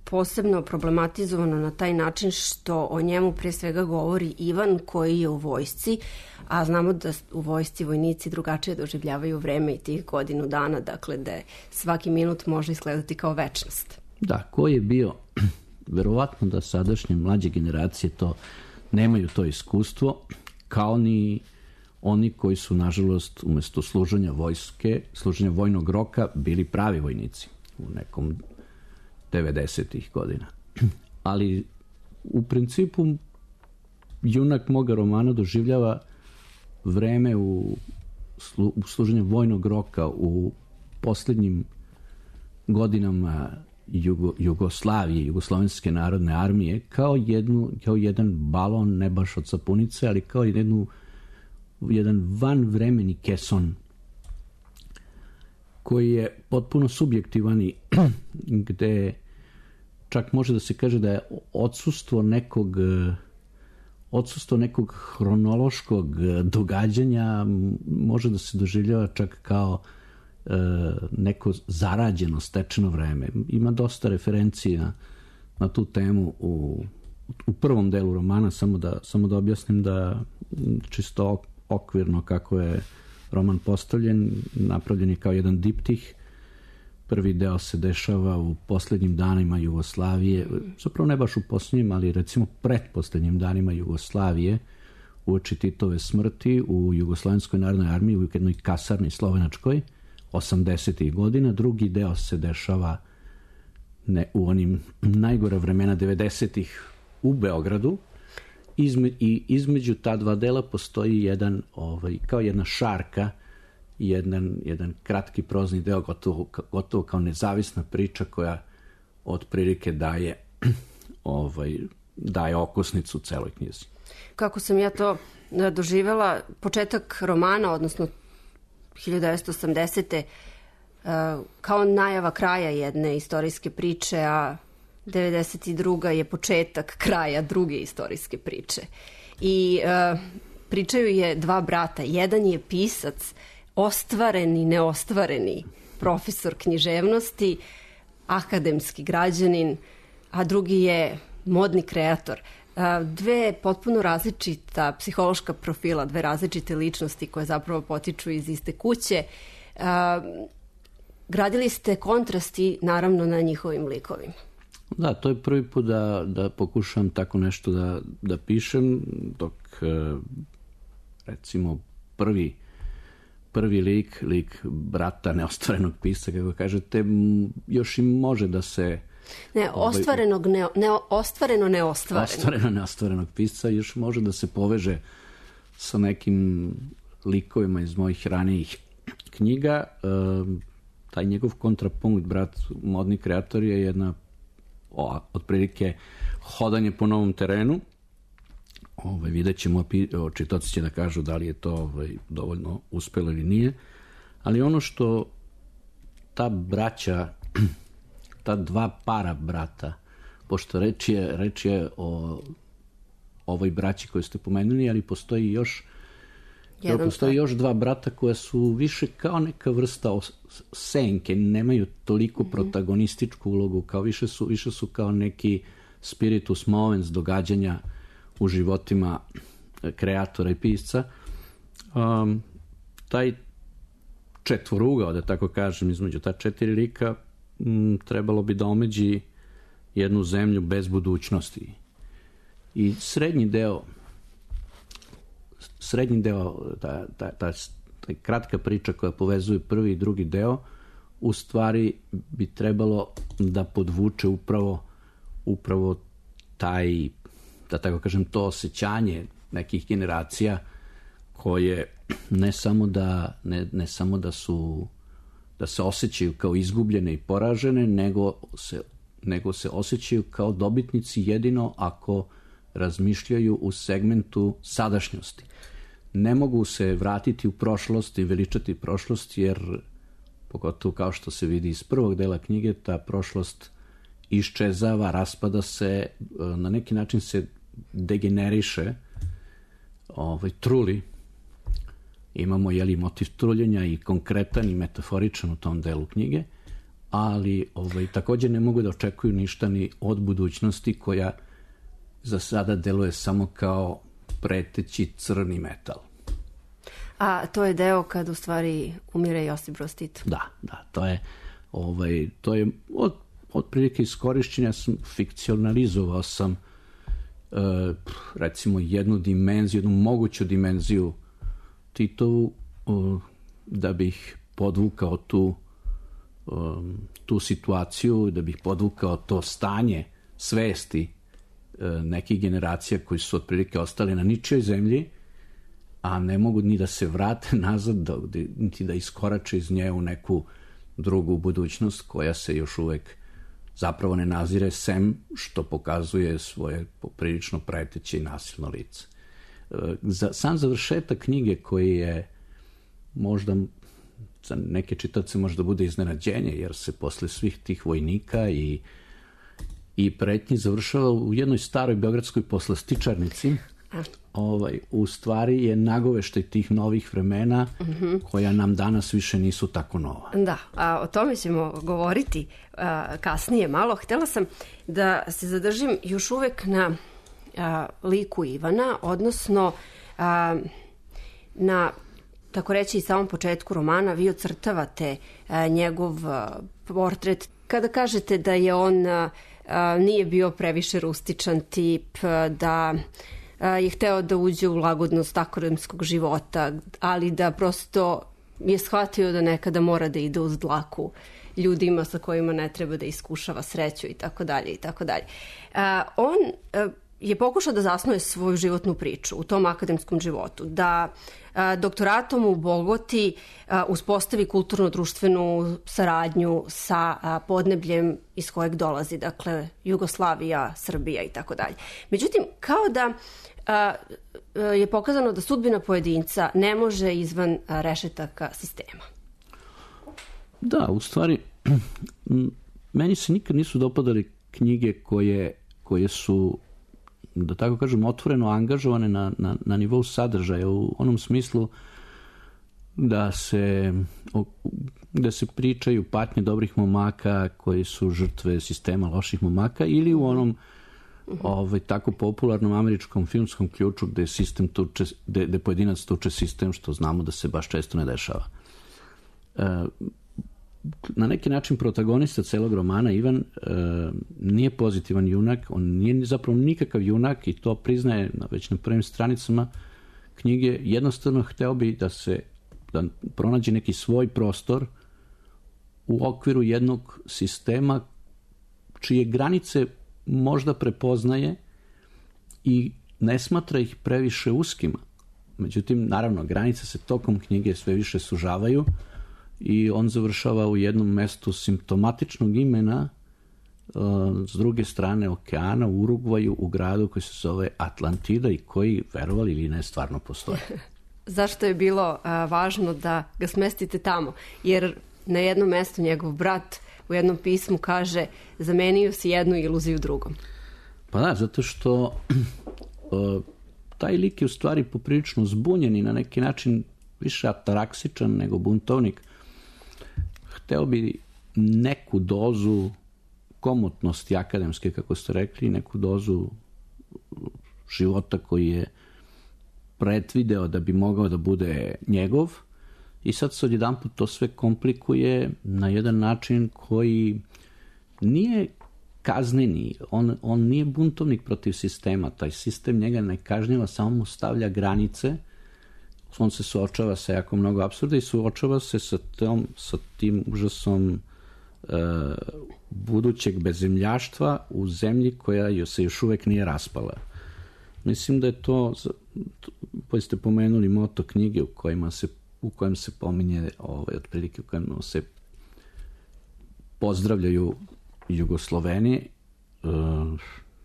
posebno problematizovano na taj način što o njemu pre svega govori Ivan koji je u vojsci, a znamo da u vojsci vojnici drugačije doživljavaju vreme i tih godinu dana, dakle da svaki minut može izgledati kao večnost. Da, ko je bio, verovatno da sadašnje mlađe generacije to nemaju to iskustvo, kao ni oni koji su, nažalost, umesto služenja vojnog roka, bili pravi vojnici u nekom 90-ih godina. Ali u principu junak moga romana doživljava vreme u služenju vojnog roka u posljednjim godinama Jugoslavije, Jugoslovenske narodne armije, kao jedan balon, ne baš od sapunice, ali kao jedan vanvremeni keson koji je potpuno subjektivan i gde čak može da se kaže da je odsustvo nekog hronološkog događanja može da se doživljava čak kao neko zarađeno, stečeno vreme. Ima dosta referencija na tu temu u prvom delu romana, samo da objasnim da čisto okvirno kako je roman postavljen, napravljen je kao jedan diptih. Prvi deo se dešava u posljednjim danima Jugoslavije, zapravo ne baš u posljednjim, ali recimo pretposljednjim danima Jugoslavije, uoči Titove smrti u Jugoslovenskoj narodnoj armiji, u jednoj kasarni slovenačkoj, 80. godina. Drugi deo se dešava u onim najgore vremena 90-ih u Beogradu. I između ta dva dela postoji jedan, kao jedna šarka, jedan kratki prozni deo, gotovo kao nezavisna priča koja otprilike daje okosnicu celoj knjizi. Kako sam ja to doživela, početak romana, odnosno 1980. Kao najava kraja jedne istorijske priče, a 92. je početak kraja druge istorijske priče. I pričaju je dva brata. Jedan je pisac, ostvareni, neostvareni profesor književnosti, akademski građanin, a drugi je modni kreator. Dve potpuno različita psihološka profila, dve različite ličnosti koje zapravo potiču iz iste kuće. Gradili ste kontrasti naravno na njihovim likovima. Da, to je prvi put da pokušam tako nešto da pišem, dok recimo prvi lik brata neostvarenog pisca, kako kažete, još i može da se... Ostvareno neostvarenog pisca još može da se poveže sa nekim likovima iz mojih ranijih knjiga. Taj njegov kontrapunkt, brat modni kreator, je jedna otprilike hodanje po novom terenu. Vidjet ćemo, čitaoci će da kažu da li je to dovoljno uspelo ili nije, ali ono što ta braća, ta dva para brata, pošto reč je o ovoj braći koju ste pomenuli, ali postoji još dva brata koja su više kao neka vrsta senke, nemaju toliko protagonističku ulogu, kao više su kao neki spiritus movens događanja u životima kreatora i pisca. Taj četvorugao, da tako kažem, između ta četiri lika trebalo bi da omeđi jednu zemlju bez budućnosti. I srednji deo, ta kratka priča koja povezuje prvi i drugi deo, u stvari bi trebalo da podvuče upravo taj, da tako kažem, to osjećanje nekih generacija koje ne samo da se osjećaju kao izgubljene i poražene, nego se osjećaju kao dobitnici jedino ako razmišljaju u segmentu sadašnjosti. Ne mogu se vratiti u prošlost i veličati prošlost, jer pogotovo kao što se vidi iz prvog dela knjige, ta prošlost iščezava, raspada se, na neki način se degeneriše, truli Imamo motiv truljenja i konkretan i metaforičan u tom delu knjige, ali također ne mogu da očekuju ništa ni od budućnosti koja za sada deluje samo kao preteći crni metal. A to je deo kad u stvari umire Josip Broz Tito. Da, to je otprilike iskorišćenja, fikcionalizovao sam recimo jednu moguću dimenziju Titovu da bih podvukao tu situaciju, da bih podvukao to stanje svesti nekih generacija koji su otprilike ostali na ničijoj zemlji, a ne mogu ni da se vrate nazad, niti da iskorače iz nje u neku drugu budućnost koja se još uvek zapravo ne nazire, sem što pokazuje svoje poprilično preteće i nasilno lice. Sam završetak knjige, koji je možda za neke čitaoce možda bude iznenađenje, jer se posle svih tih vojnika i pretnji završava u jednoj staroj beogradskoj poslastičarnici, u stvari je nagoveštaj tih novih vremena koja nam danas više nisu tako nova. Da, a o tome ćemo govoriti kasnije malo. Htjela sam da se zadržim još uvek na liku Ivana, odnosno na, tako reći, i samom početku romana. Vi ocrtavate njegov portret. Kada kažete da je on nije bio previše rustičan tip, da je hteo da uđe u lagodnost akademskog života, ali da prosto je shvatio da nekada mora da ide uz dlaku ljudima sa kojima ne treba da iskušava sreću i tako dalje i tako dalje. On je pokušao da zasnuje svoju životnu priču u tom akademskom životu, da doktoratom u Bogoti uspostavi kulturno-društvenu saradnju sa podnebljem iz kojeg dolazi, dakle Jugoslavija, Srbija i tako dalje. Međutim, kao da je pokazano da sudbina pojedinca ne može izvan rešetaka sistema. Da, u stvari, meni se nikad nisu dopadali knjige koje su, da tako kažem, otvoreno angažovane na nivou sadržaja, u onom smislu da se pričaju patnje dobrih momaka koji su žrtve sistema loših momaka, ili u onom tako popularnom američkom filmskom ključu gde sistem tuče, gde pojedinac tuče sistem, što znamo da se baš često ne dešava. Na neki način protagonista celog romana, Ivan, nije pozitivan junak, on nije zapravo nikakav junak, i to priznaje već na prvim stranicama knjige. Jednostavno hteo bi da pronađe neki svoj prostor u okviru jednog sistema čije granice možda prepoznaje i ne smatra ih previše uskima. Međutim, naravno, granice se tokom knjige sve više sužavaju i on završava u jednom mestu simptomatičnog imena s druge strane okeana, u Urugvaju, u gradu koji se zove Atlantida i koji, verovali ili ne, stvarno postoje. Zašto je bilo važno da ga smestite tamo? Jer na jednom mestu njegov brat u jednom pismu kaže: zamenio si jednu iluziju drugom. Pa da, zato što taj lik je u stvari poprilično zbunjen i na neki način više ataraksičan nego buntovnik. Hteo bi neku dozu komotnosti akademske, kako ste rekli, neku dozu života koji je predvideo da bi mogao da bude njegov, i sad se odjedanput to sve komplikuje na jedan način koji nije kazneni. On nije buntovnik protiv sistema. Taj sistem njega ne kažnjava, samo mu stavlja granice. On se suočava sa jako mnogo apsurda i suočava se sa tim užasom budućeg bezemljaštva u zemlji koja se još uvek nije raspala. Mislim da je to, koji ste pomenuli moto knjige u kojem se pominje, otprilike u kojem se pozdravljaju Jugosloveni.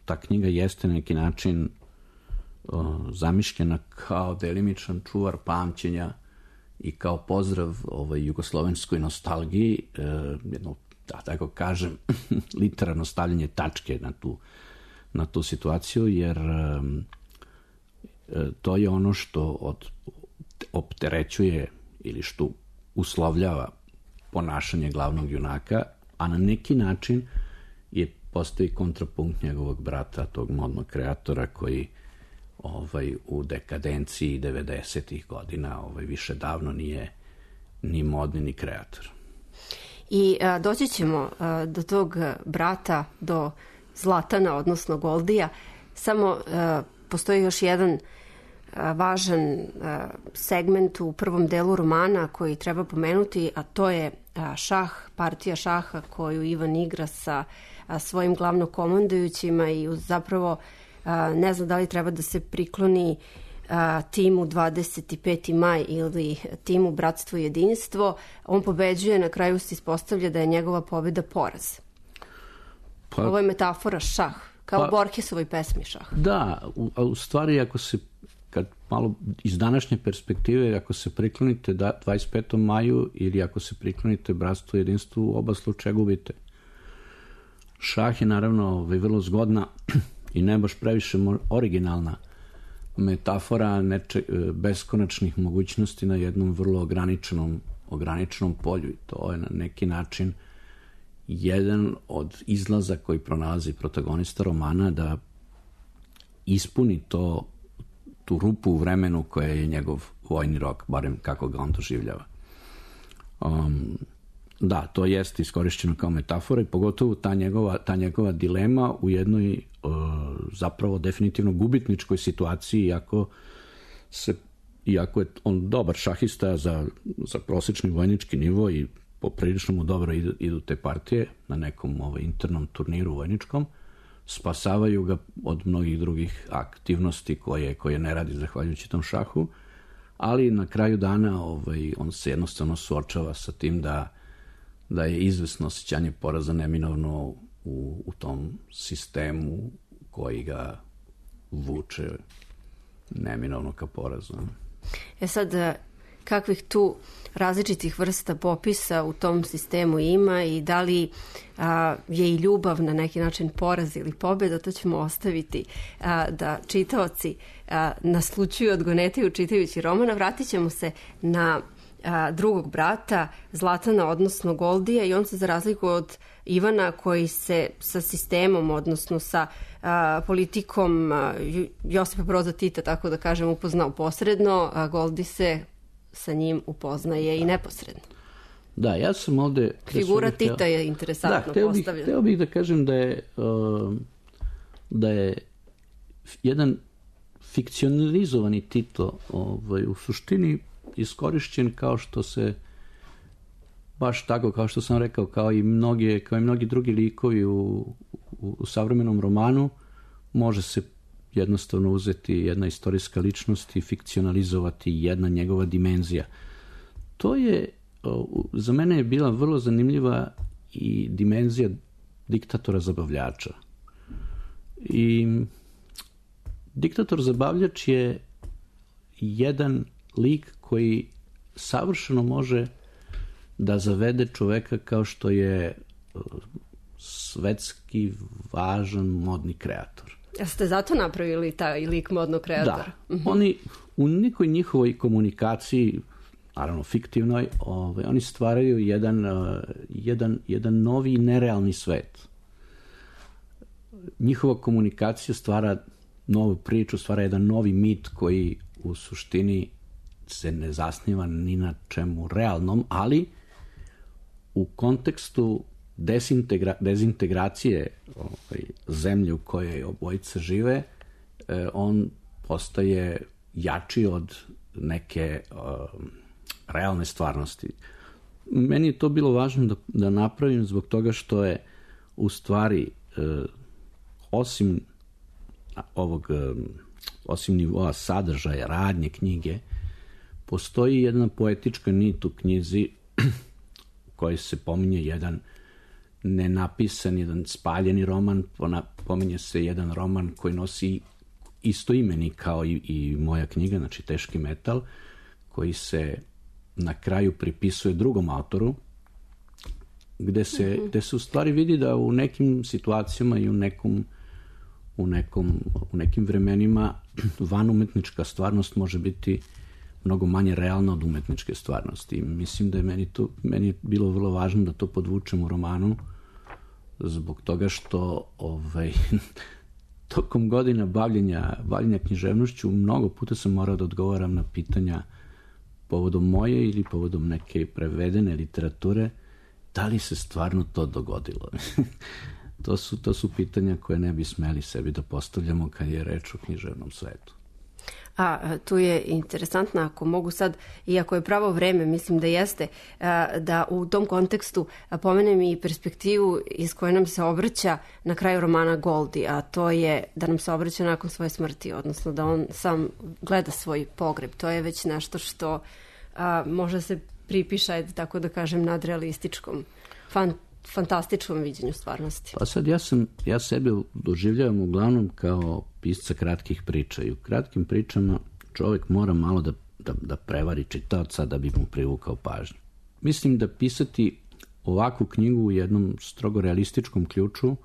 Ta knjiga jeste na neki način zamišljena kao delimičan čuvar pamćenja i kao pozdrav jugoslovenskoj nostalgiji, jedno, da tako kažem, literarno stavljanje tačke na tu situaciju, jer to je ono što od opterećuje ili što uslovljava ponašanje glavnog junaka, a na neki način postoji kontrapunkt njegovog brata, tog modnog kreatora koji u dekadenciji 90-ih godina više davno nije ni modni ni kreator. I doći ćemo do tog brata, do Zlatana, odnosno Goldija. Samo postoji još jedan važan segment u prvom delu romana koji treba pomenuti, a to je šah, partija šaha koju Ivan igra sa svojim glavnokomandujućima i zapravo ne znam da li treba da se prikloni timu 25. maj ili timu Bratstvo i jedinstvo. On pobeđuje, na kraju se ispostavlja da je njegova pobjeda poraz. Ovo je metafora šah, kao Borgesovoj pesmi šah. Da, u stvari kad malo iz današnje perspektive, ako se priklonite 25. maju ili ako se priklonite Bratstvu i jedinstvu, u oba slučaja gubite. Šah je naravno vrlo zgodna i ne baš previše originalna metafora beskonačnih mogućnosti na jednom vrlo ograničenom polju. I to je na neki način jedan od izlaza koji pronalazi protagonista romana, da ispuni tu rupu u vremenu koja je njegov vojni rok, barem kako ga on doživljava. Da, to jeste iskorišćeno kao metafora i pogotovo ta njegova dilema u jednoj zapravo definitivno gubitničkoj situaciji, iako je on dobar šahista za prosječni vojnički nivo i poprilično mu dobro idu te partije na nekom internom turniru vojničkom, spasavaju ga od mnogih drugih aktivnosti koje ne radi zahvaljujući tom šahu, ali na kraju dana on se jednostavno suočava sa tim da je izvesno osjećanje poraza neminovno u tom sistemu koji ga vuče neminovno ka porazu. Sad, kakvih tu različitih vrsta popisa u tom sistemu ima i da li je i ljubav na neki način poraz ili pobjeda, to ćemo ostaviti da čitaoci naslučuju, odgonetaju čitajući romana. Vratit ćemo se na drugog brata, Zlatana, odnosno Goldija, i on se, za razliku od Ivana, koji se sa sistemom, odnosno sa politikom Josipa Broza Tita, tako da kažem, upoznao posredno, Goldi se sa njim upoznaje i neposredno. Da, ja sam ovde... Figura Tita je interesantno postavljena. Hteo bih da kažem da je jedan fikcionalizovani Tito u suštini iskorišćen kao što se, baš tako kao što sam rekao, kao i mnogi drugi likovi u savremenom romanu, može se jednostavno uzeti jedna istorijska ličnost i fikcionalizovati jedna njegova dimenzija. To je, za mene je bila vrlo zanimljiva i dimenzija diktatora zabavljača. I diktator zabavljač je jedan lik koji savršeno može da zavede čoveka kao što je svetski važan modni kreator. Jeste zato napravili taj lik modnog kreatora? Da. Oni u nekoj njihovoj komunikaciji, naravno fiktivnoj, oni stvaraju jedan novi nerealni svet. Njihova komunikacija stvara novu priču, stvara jedan novi mit koji u suštini se ne zasniva ni na čemu realnom, ali u kontekstu dezintegracije zemlje u kojoj obojice žive, on postaje jači od neke realne stvarnosti. Meni je to bilo važno da napravim zbog toga što je u stvari osim nivoa sadržaja, radnje knjige, postoji jedna poetička nit u knjizi u kojoj se pominje jedan nenapisan, jedan spaljeni roman, pominje se jedan roman koji nosi isto imeni kao i moja knjiga, znači Teški metal, koji se na kraju pripisuje drugom autoru, gde se u stvari vidi da u nekim situacijama i u nekim vremenima vanumetnička stvarnost može biti mnogo manje realna od umetničke stvarnosti. Mislim da je meni je bilo vrlo važno da to podvučem u romanu, zbog toga što tokom godina bavljenja književnošću mnogo puta sam morao da odgovaram na pitanja povodom moje ili povodom neke prevedene literature, da li se stvarno to dogodilo. To su pitanja koje ne bi smeli sebi da postavljamo kad je reč o književnom svetu. A tu je interesantno, ako mogu sad, iako je pravo vreme, mislim da jeste, da u tom kontekstu pomenem i perspektivu iz koje nam se obraća na kraju romana Goldi, a to je da nam se obraća nakon svoje smrti, odnosno da on sam gleda svoj pogreb. To je već nešto što može se pripiše, tako da kažem, nadrealističkom, fantastičnom viđenju stvarnosti. Pa sad ja sebe doživljavam uglavnom kao pisca kratkih priča i u kratkim pričama čovjek mora malo da prevari čitaoca da bi mu privukao pažnju. Mislim da pisati ovakvu knjigu u jednom strogo realističkom ključu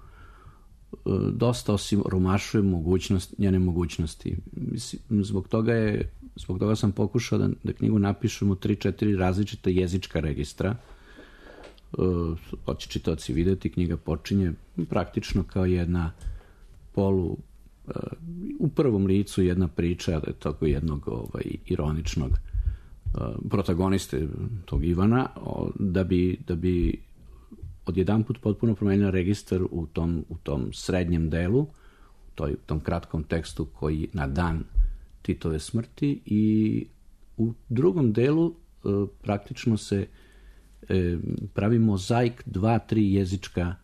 dosta osiromašuje njene mogućnosti. Mislim, zbog toga sam pokušao da knjigu napišem u 3-4 različita jezička registra. Hoće čitaoci vidjeti, knjiga počinje praktično kao jedna u prvom licu jedna priča tako jednog ironičnog protagoniste tog Ivana, da bi odjedanput potpuno promenila registar u tom srednjem delu, u tom kratkom tekstu koji na dan Titove smrti, i u drugom delu praktično se pravi mozaik 2-3 jezička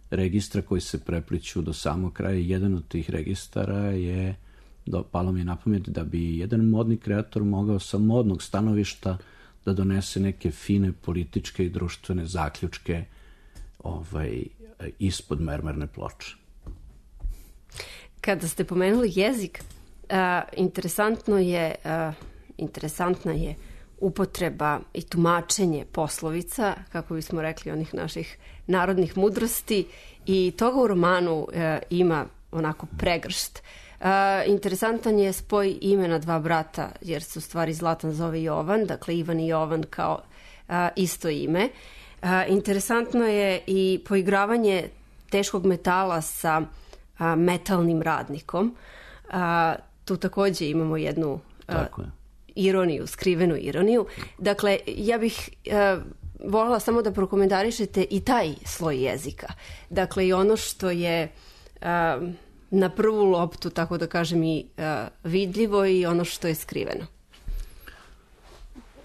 registra koji se prepliću do samog kraja. Jedan od tih registara je, palo mi je na pamet, da bi jedan modni kreator mogao sa modnog stanovišta da donese neke fine političke i društvene zaključke ispod mermerne ploče. Kada ste pomenuli jezik, interesantna je upotreba i tumačenje poslovica, kako bismo rekli, onih naših narodnih mudrosti, i toga u romanu ima onako pregršt. Interesantan je spoj imena dva brata, jer se u stvari Zlatan zove Jovan, dakle Ivan i Jovan kao isto ime. Interesantno je i poigravanje teškog metala sa metalnim radnikom. Tu također imamo jednu ironiju, skrivenu ironiju. Dakle, ja bih voljela samo da prokomentarišete i taj sloj jezika. Dakle, i ono što je na prvu loptu, tako da kažem, i vidljivo, i ono što je skriveno.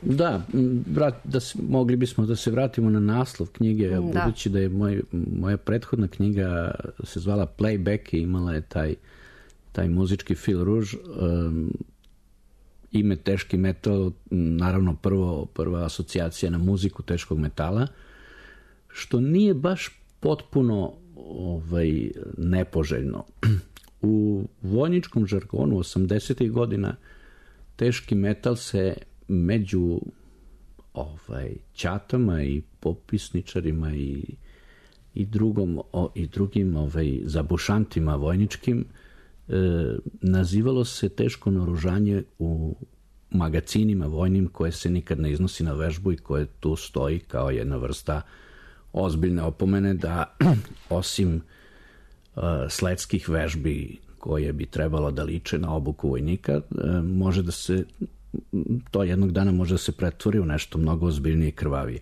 Da, mogli bismo da se vratimo na naslov knjige, budući da je moja prethodna knjiga se zvala Playback i imala je taj muzički fil ruž. Ime teški metal, naravno prva asocijacija na muziku teškog metala, što nije baš potpuno nepoželjno. U vojničkom žargonu 80. godina teški metal se među ćatama i popisničarima i drugim zabušantima vojničkim nazivalo se teško naoružanje u magacinima vojnim koje se nikad ne iznosi na vežbu i koje tu stoji kao jedna vrsta ozbiljne opomene da osim sledskih vežbi koje bi trebalo da liče na obuku vojnika, može da se to jednog dana može da se pretvori u nešto mnogo ozbiljnije i krvavije.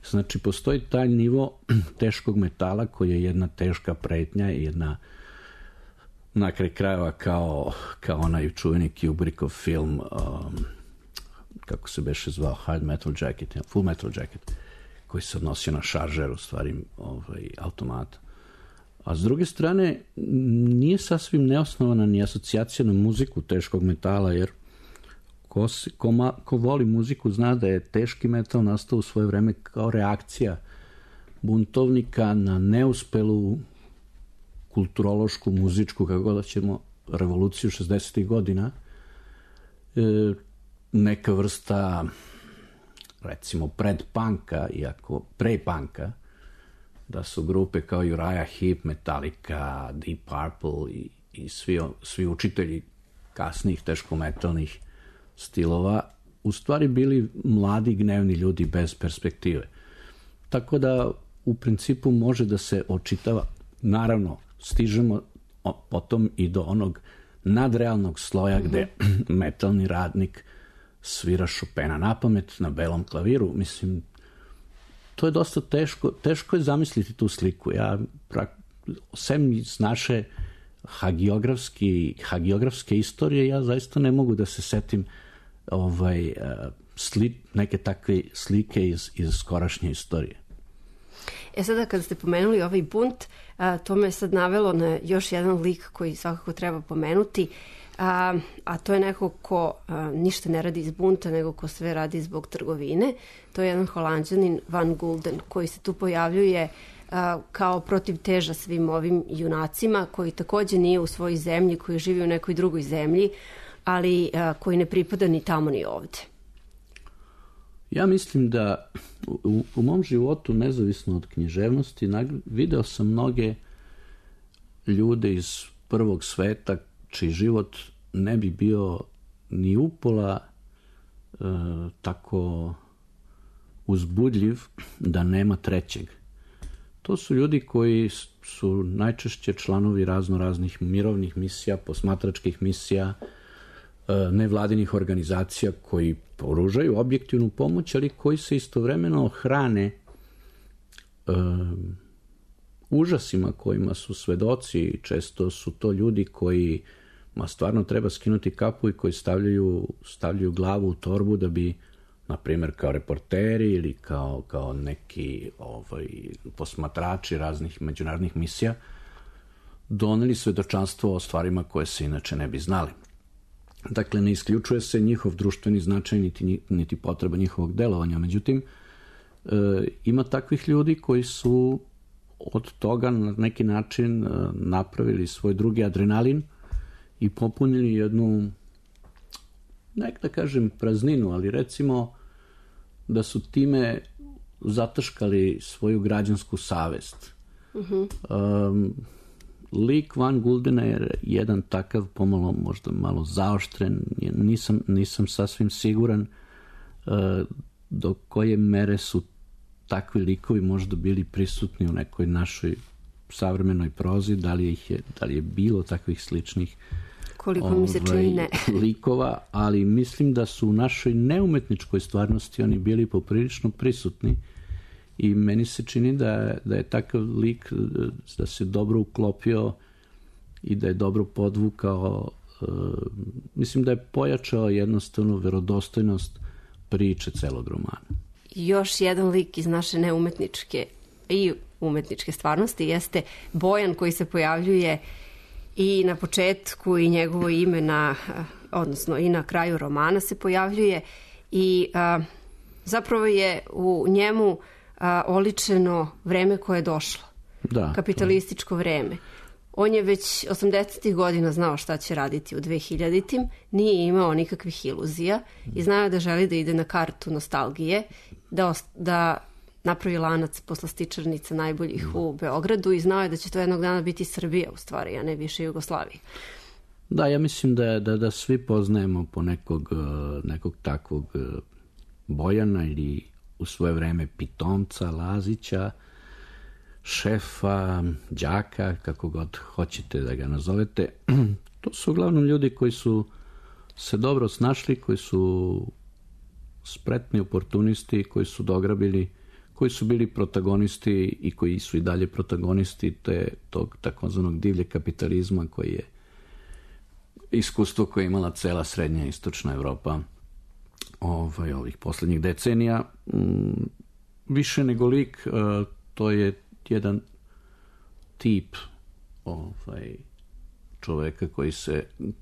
Znači, postoji taj nivo teškog metala koji je jedna teška pretnja i jedna na kraj krajeva kao onaj čuveni Kubrickov film, kako se beše zvao, Full Metal Jacket, koji se odnosio na šaržer, u stvari automata. A s druge strane, nije sasvim neosnovana ni asocijacija na muziku teškog metala, jer ko voli muziku zna da je teški metal nastao u svoje vreme kao reakcija buntovnika na neuspelu kulturološku, muzičku, kako god ćemo, revoluciju 60. godina. Neka vrsta, recimo, predpunka, iako pre-punka, da su grupe kao Uriah Heep, Metallica, Deep Purple i svi učitelji kasnijih teškometalnih stilova u stvari bili mladi, gnevni ljudi bez perspektive. Tako da u principu može da se očitava, naravno stižemo potom i do onog nadrealnog sloja gde metalni radnik svira Chopina napamet na belom klaviru. Mislim, to je dosta teško je zamisliti tu sliku. Ja, sem iz naše hagiografske istorije, ja zaista ne mogu da se setim neke takve slike iz skorašnje istorije. Sada kada ste pomenuli ovaj bunt, to me sad navelo na još jedan lik koji svakako treba pomenuti, a to je neko ko ništa ne radi iz bunta, nego ko sve radi zbog trgovine. To je jedan Holanđanin, Van Gulden, koji se tu pojavljuje kao protivteža svim ovim junacima, koji takođe nije u svojoj zemlji, koji živi u nekoj drugoj zemlji, ali koji ne pripada ni tamo ni ovde. Ja mislim da u mom životu, nezavisno od književnosti, video sam mnoge ljude iz prvog sveta čiji život ne bi bio ni upola tako uzbudljiv da nema trećeg. To su ljudi koji su najčešće članovi raznih mirovnih misija, posmatračkih misija, nevladinih organizacija koji pružaju objektivnu pomoć, ali koji se istovremeno hrane užasima kojima su svedoci. Često su to ljudi koji stvarno treba skinuti kapu i koji stavljaju glavu u torbu da bi, na primjer, kao reporteri ili kao neki posmatrači raznih međunarodnih misija doneli svedočanstvo o stvarima koje se inače ne bi znali. Dakle, ne isključuje se njihov društveni značaj niti potreba njihovog delovanja. Međutim, ima takvih ljudi koji su od toga na neki način napravili svoj drugi adrenalin i popunili jednu, nek da kažem prazninu, ali recimo da su time zataškali svoju građansku savest. Lik Van Guldena je jedan takav, pomalo možda malo zaoštren, nisam sasvim siguran do koje mere su takvi likovi možda bili prisutni u nekoj našoj savremenoj prozi, da li je bilo takvih sličnih koliko mi se čini ne likova, ali mislim da su u našoj neumetničkoj stvarnosti oni bili poprilično prisutni i meni se čini da je takav lik, da se dobro uklopio i da je dobro podvukao, mislim da je pojačao jednostavno verodostojnost priče celog romana. Još jedan lik iz naše neumetničke i umetničke stvarnosti jeste Bojan, koji se pojavljuje i na početku i njegovo ime odnosno i na kraju romana se pojavljuje i zapravo je u njemu oličeno vreme koje je došlo. Kapitalističko vreme. On je već 80. godina znao šta će raditi u 2000-tim, nije imao nikakvih iluzija i znao da želi da ide na kartu nostalgije, da napravi lanac poslastičarnica najboljih u Beogradu i znao je da će to jednog dana biti Srbija u stvari, a ne više Jugoslavija. Da, ja mislim da svi poznajemo po nekog takvog Bojana ili u svoje vreme pitomca, Lazića, šefa, đaka, kako god hoćete da ga nazovete. To su uglavnom ljudi koji su se dobro snašli, koji su spretni oportunisti, koji su dograbili, koji su bili protagonisti i koji su i dalje protagonisti tog takozvanog divlje kapitalizma koji je iskustvo koje je imala cela srednja i istočna Evropa ovih poslednjih decenija. Više nego lik, to je jedan tip čoveka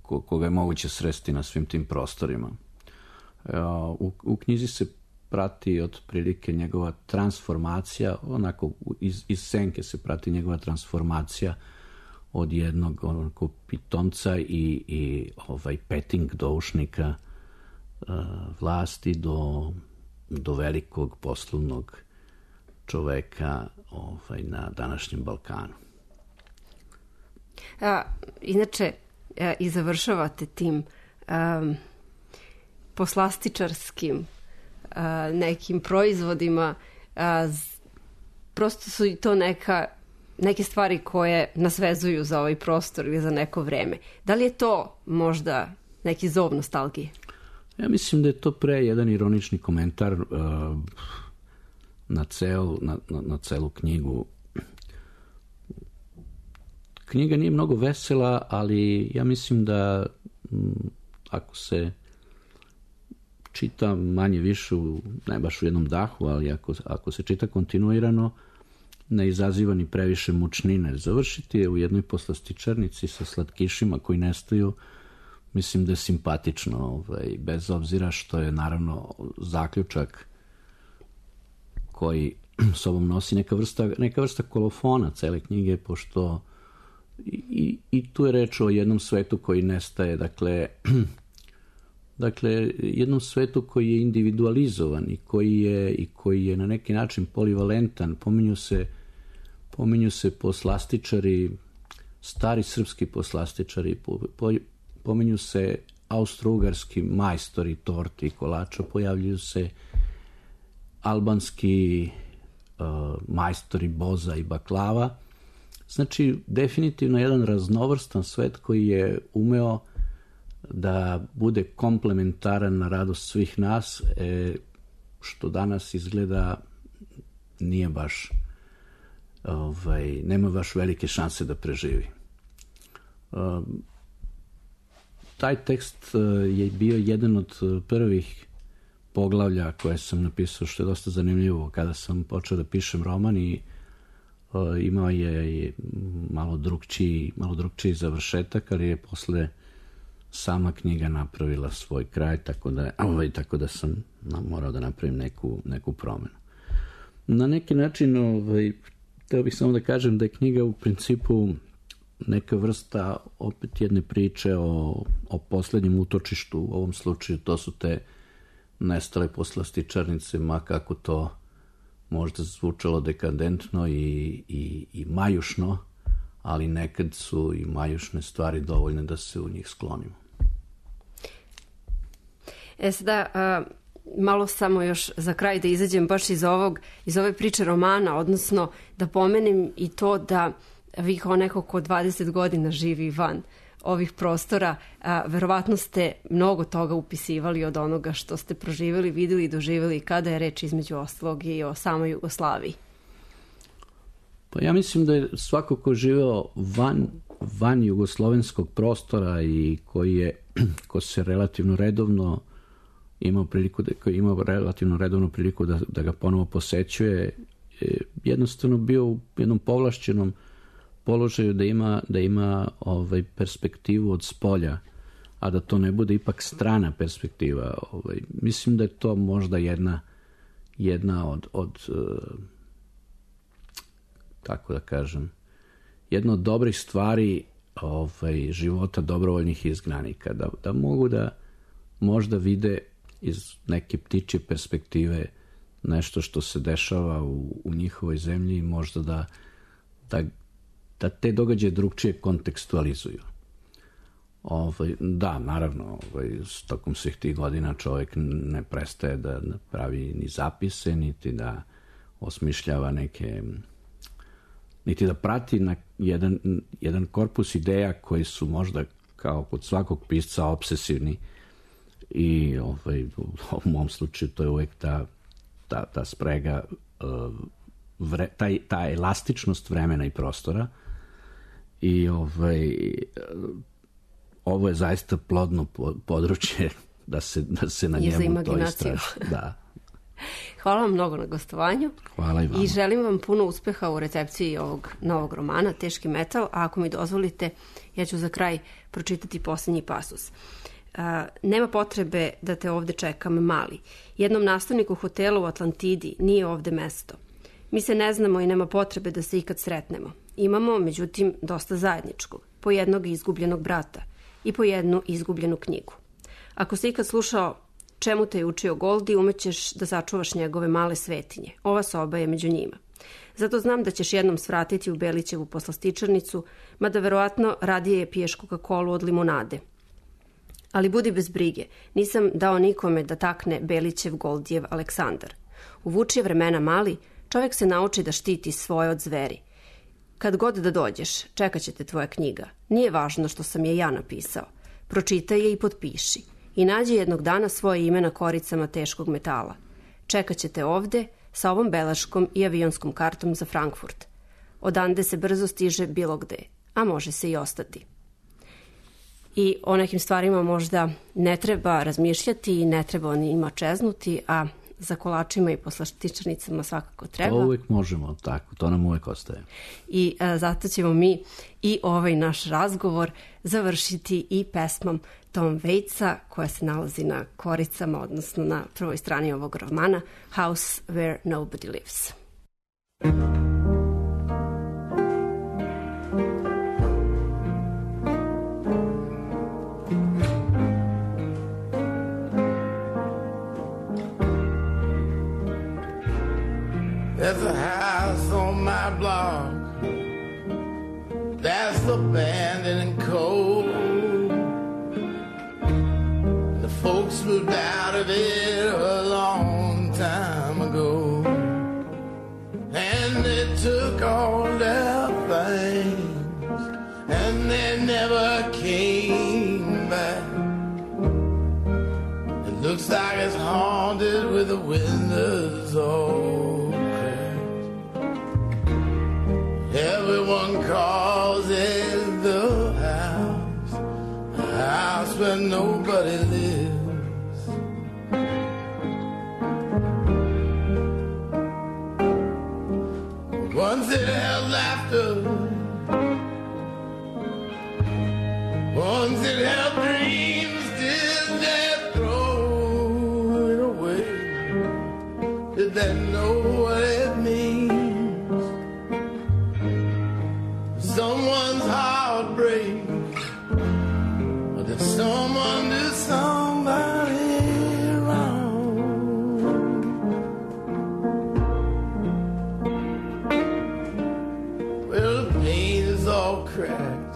koga je moguće sresti na svim tim prostorima. U knjizi se prati otprilike njegova transformacija, onako iz senke se prati njegova transformacija od jednog pitomca i petting doušnika vlasti do velikog poslovnog čoveka na današnjem Balkanu. Inače, i završavate poslastičarskim nekim proizvodima, prosto su i to neke stvari koje nas vezuju za ovaj prostor ili za neko vreme. Da li je to možda neki zov nostalgije? Ja mislim da je to pre jedan ironični komentar na celu knjigu. Knjiga nije mnogo vesela, ali ja mislim da ako se čita manje više, ne baš u jednom dahu, ali ako se čita kontinuirano, ne izaziva ni previše mučnine. Završiti je u jednoj poslastičarnici sa slatkišima koji nestaju, mislim da je simpatično, bez obzira što je naravno zaključak koji sobom nosi neka vrsta kolofona cele knjige, pošto i tu je reč o jednom svetu koji nestaje, dakle jednom svetu koji je individualizovan i koji je na neki način polivalentan. Pominju se poslastičari, stari srpski poslastičari, pominju se austro-ugarski majstori torti i kolača, pojavljuju se albanski majstori boza i baklava. Znači, definitivno jedan raznovrstan svet koji je umeo da bude komplementaran na radost svih nas, što danas izgleda nije baš, nema baš velike šanse da preživi. Taj tekst je bio jedan od prvih poglavlja koje sam napisao, što je dosta zanimljivo kada sam počeo da pišem roman, i imao je malo drugčiji završetak, ali je posle sama knjiga napravila svoj kraj, tako da sam morao da napravim neku promenu. Na neki način, hteo bih samo da kažem da je knjiga u principu neka vrsta opet jedne priče o poslednjem utočištu. U ovom slučaju to su te nestale poslastičarnice, ma kako to možda zvučalo dekadentno i majušno, ali nekad su i majušne stvari dovoljne da se u njih sklonimo. Sada, malo samo još za kraj da izađem baš iz ove priče romana, odnosno da pomenem i to da vi kao neko ko 20 godina živi van ovih prostora, verovatno ste mnogo toga upisivali od onoga što ste proživjeli, vidjeli i doživjeli kada je reč između ostalog i o samoj Jugoslaviji. Pa ja mislim da je svako ko živeo van jugoslovenskog prostora i ko se relativno redovno imao relativno redovnu priliku da ga ponovo posećuje, jednostavno bio u jednom povlašćenom položaju da ima perspektivu od spolja, a da to ne bude ipak strana perspektiva. Mislim da je to možda jedna od kako da kažem, jedna od dobrih stvari života dobrovoljnih izgnanika, da mogu da možda vide iz neke ptičje perspektive nešto što se dešava u njihovoj zemlji i možda da te događaje drugčije kontekstualizuju. Da, naravno, tokom svih tih godina čovjek ne prestaje da pravi ni zapise, niti da osmišljava niti da prati na jedan korpus ideja koji su možda kao kod svakog pisca obsesivni, i u mom slučaju to je uvijek ta sprega, ta elastičnost vremena i prostora, i ovo je zaista plodno područje da se na njemu to istraži. Da. Hvala vam mnogo na gostovanju. Hvala i vama. I želim vam puno uspeha u recepciji ovog novog romana Teški metal, a ako mi dozvolite, ja ću za kraj pročitati posljednji pasus. Nema potrebe da te ovde čekam, mali. Jednom nastavniku hotela u Atlantidi nije ovde mesto. Mi se ne znamo i nema potrebe da se ikad sretnemo. Imamo, međutim, dosta zajedničkog. Po jednog izgubljenog brata i po jednu izgubljenu knjigu. Ako si ikad slušao Čemu te je učio Goldi, umećeš da sačuvaš njegove male svetinje. Ova soba je među njima. Zato znam da ćeš jednom svratiti u Belićevu poslastičarnicu, mada verovatno radije piješ Coca-Colu od limonade. Ali budi bez brige, nisam dao nikome da takne Belićev Goldjev Aleksandar. U vučije vremena mali, čovjek se nauči da štiti svoje od zveri. Kad god da dođeš, čekat će te tvoja knjiga. Nije važno što sam je ja napisao. Pročitaj je i potpiši. I nađi jednog dana svoje ime na koricama teškog metala. Čekat će te ovde sa ovom beleškom i avionskom kartom za Frankfurt. Odande se brzo stiže bilo gde, a može se i ostati. I o nekim stvarima možda ne treba razmišljati i ne treba o njima čeznuti, a za kolačima i poslastičarnicama svakako treba. To uvijek možemo, tako, to nam uvijek ostaje. I zato ćemo mi i ovaj naš razgovor završiti i pesmom Tom Waitsa, koja se nalazi na koricama, odnosno na prvoj strani ovog romana, House Where Nobody Lives. There's a house on my block that's abandoned and cold. The folks moved out of it a long time ago, and they took all their things, and they never came back. It looks like it's haunted with the windows all. Everyone calls it the house, a house where nobody lives. Once it held laughter, once it held dreams, did they throw it away? Did they know what it means? Someone's heartbreak, or did someone do somebody wrong? Well, the paint is all cracked,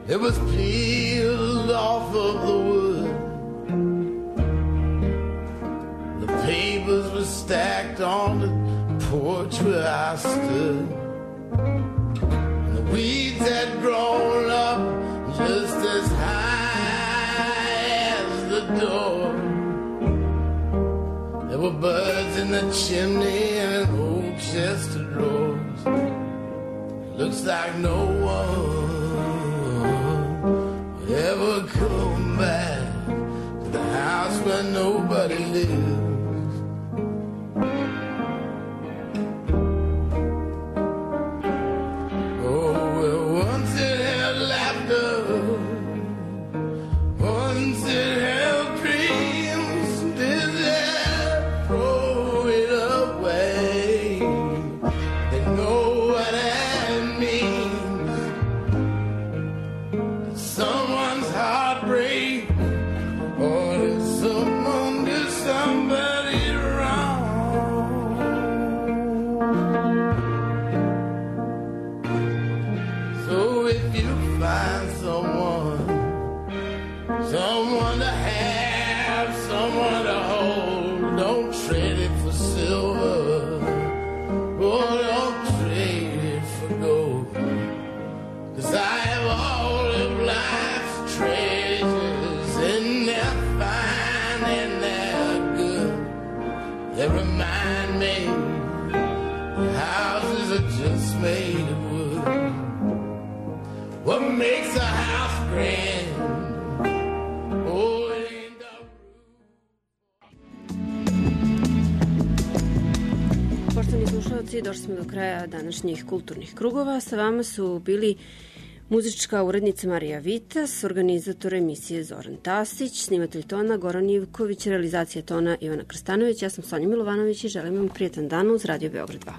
it was peeled off of the wood, the papers were stacked on the porch where I stood. Weeds had grown up just as high as the door. There were birds in the chimney and an old chest of drawers. Looks like no one will ever come back to the house where nobody lives. Došli smo do kraja današnjih kulturnih krugova. Sa vama su bili muzička urednica Marija Vitas, organizator emisije Zoran Tasić, snimatelj tona Goran Ivković, realizacija tona Ivana Krstanović. Ja sam Sonja Milovanović i želim vam prijetan dan uz Radio Beograd 2.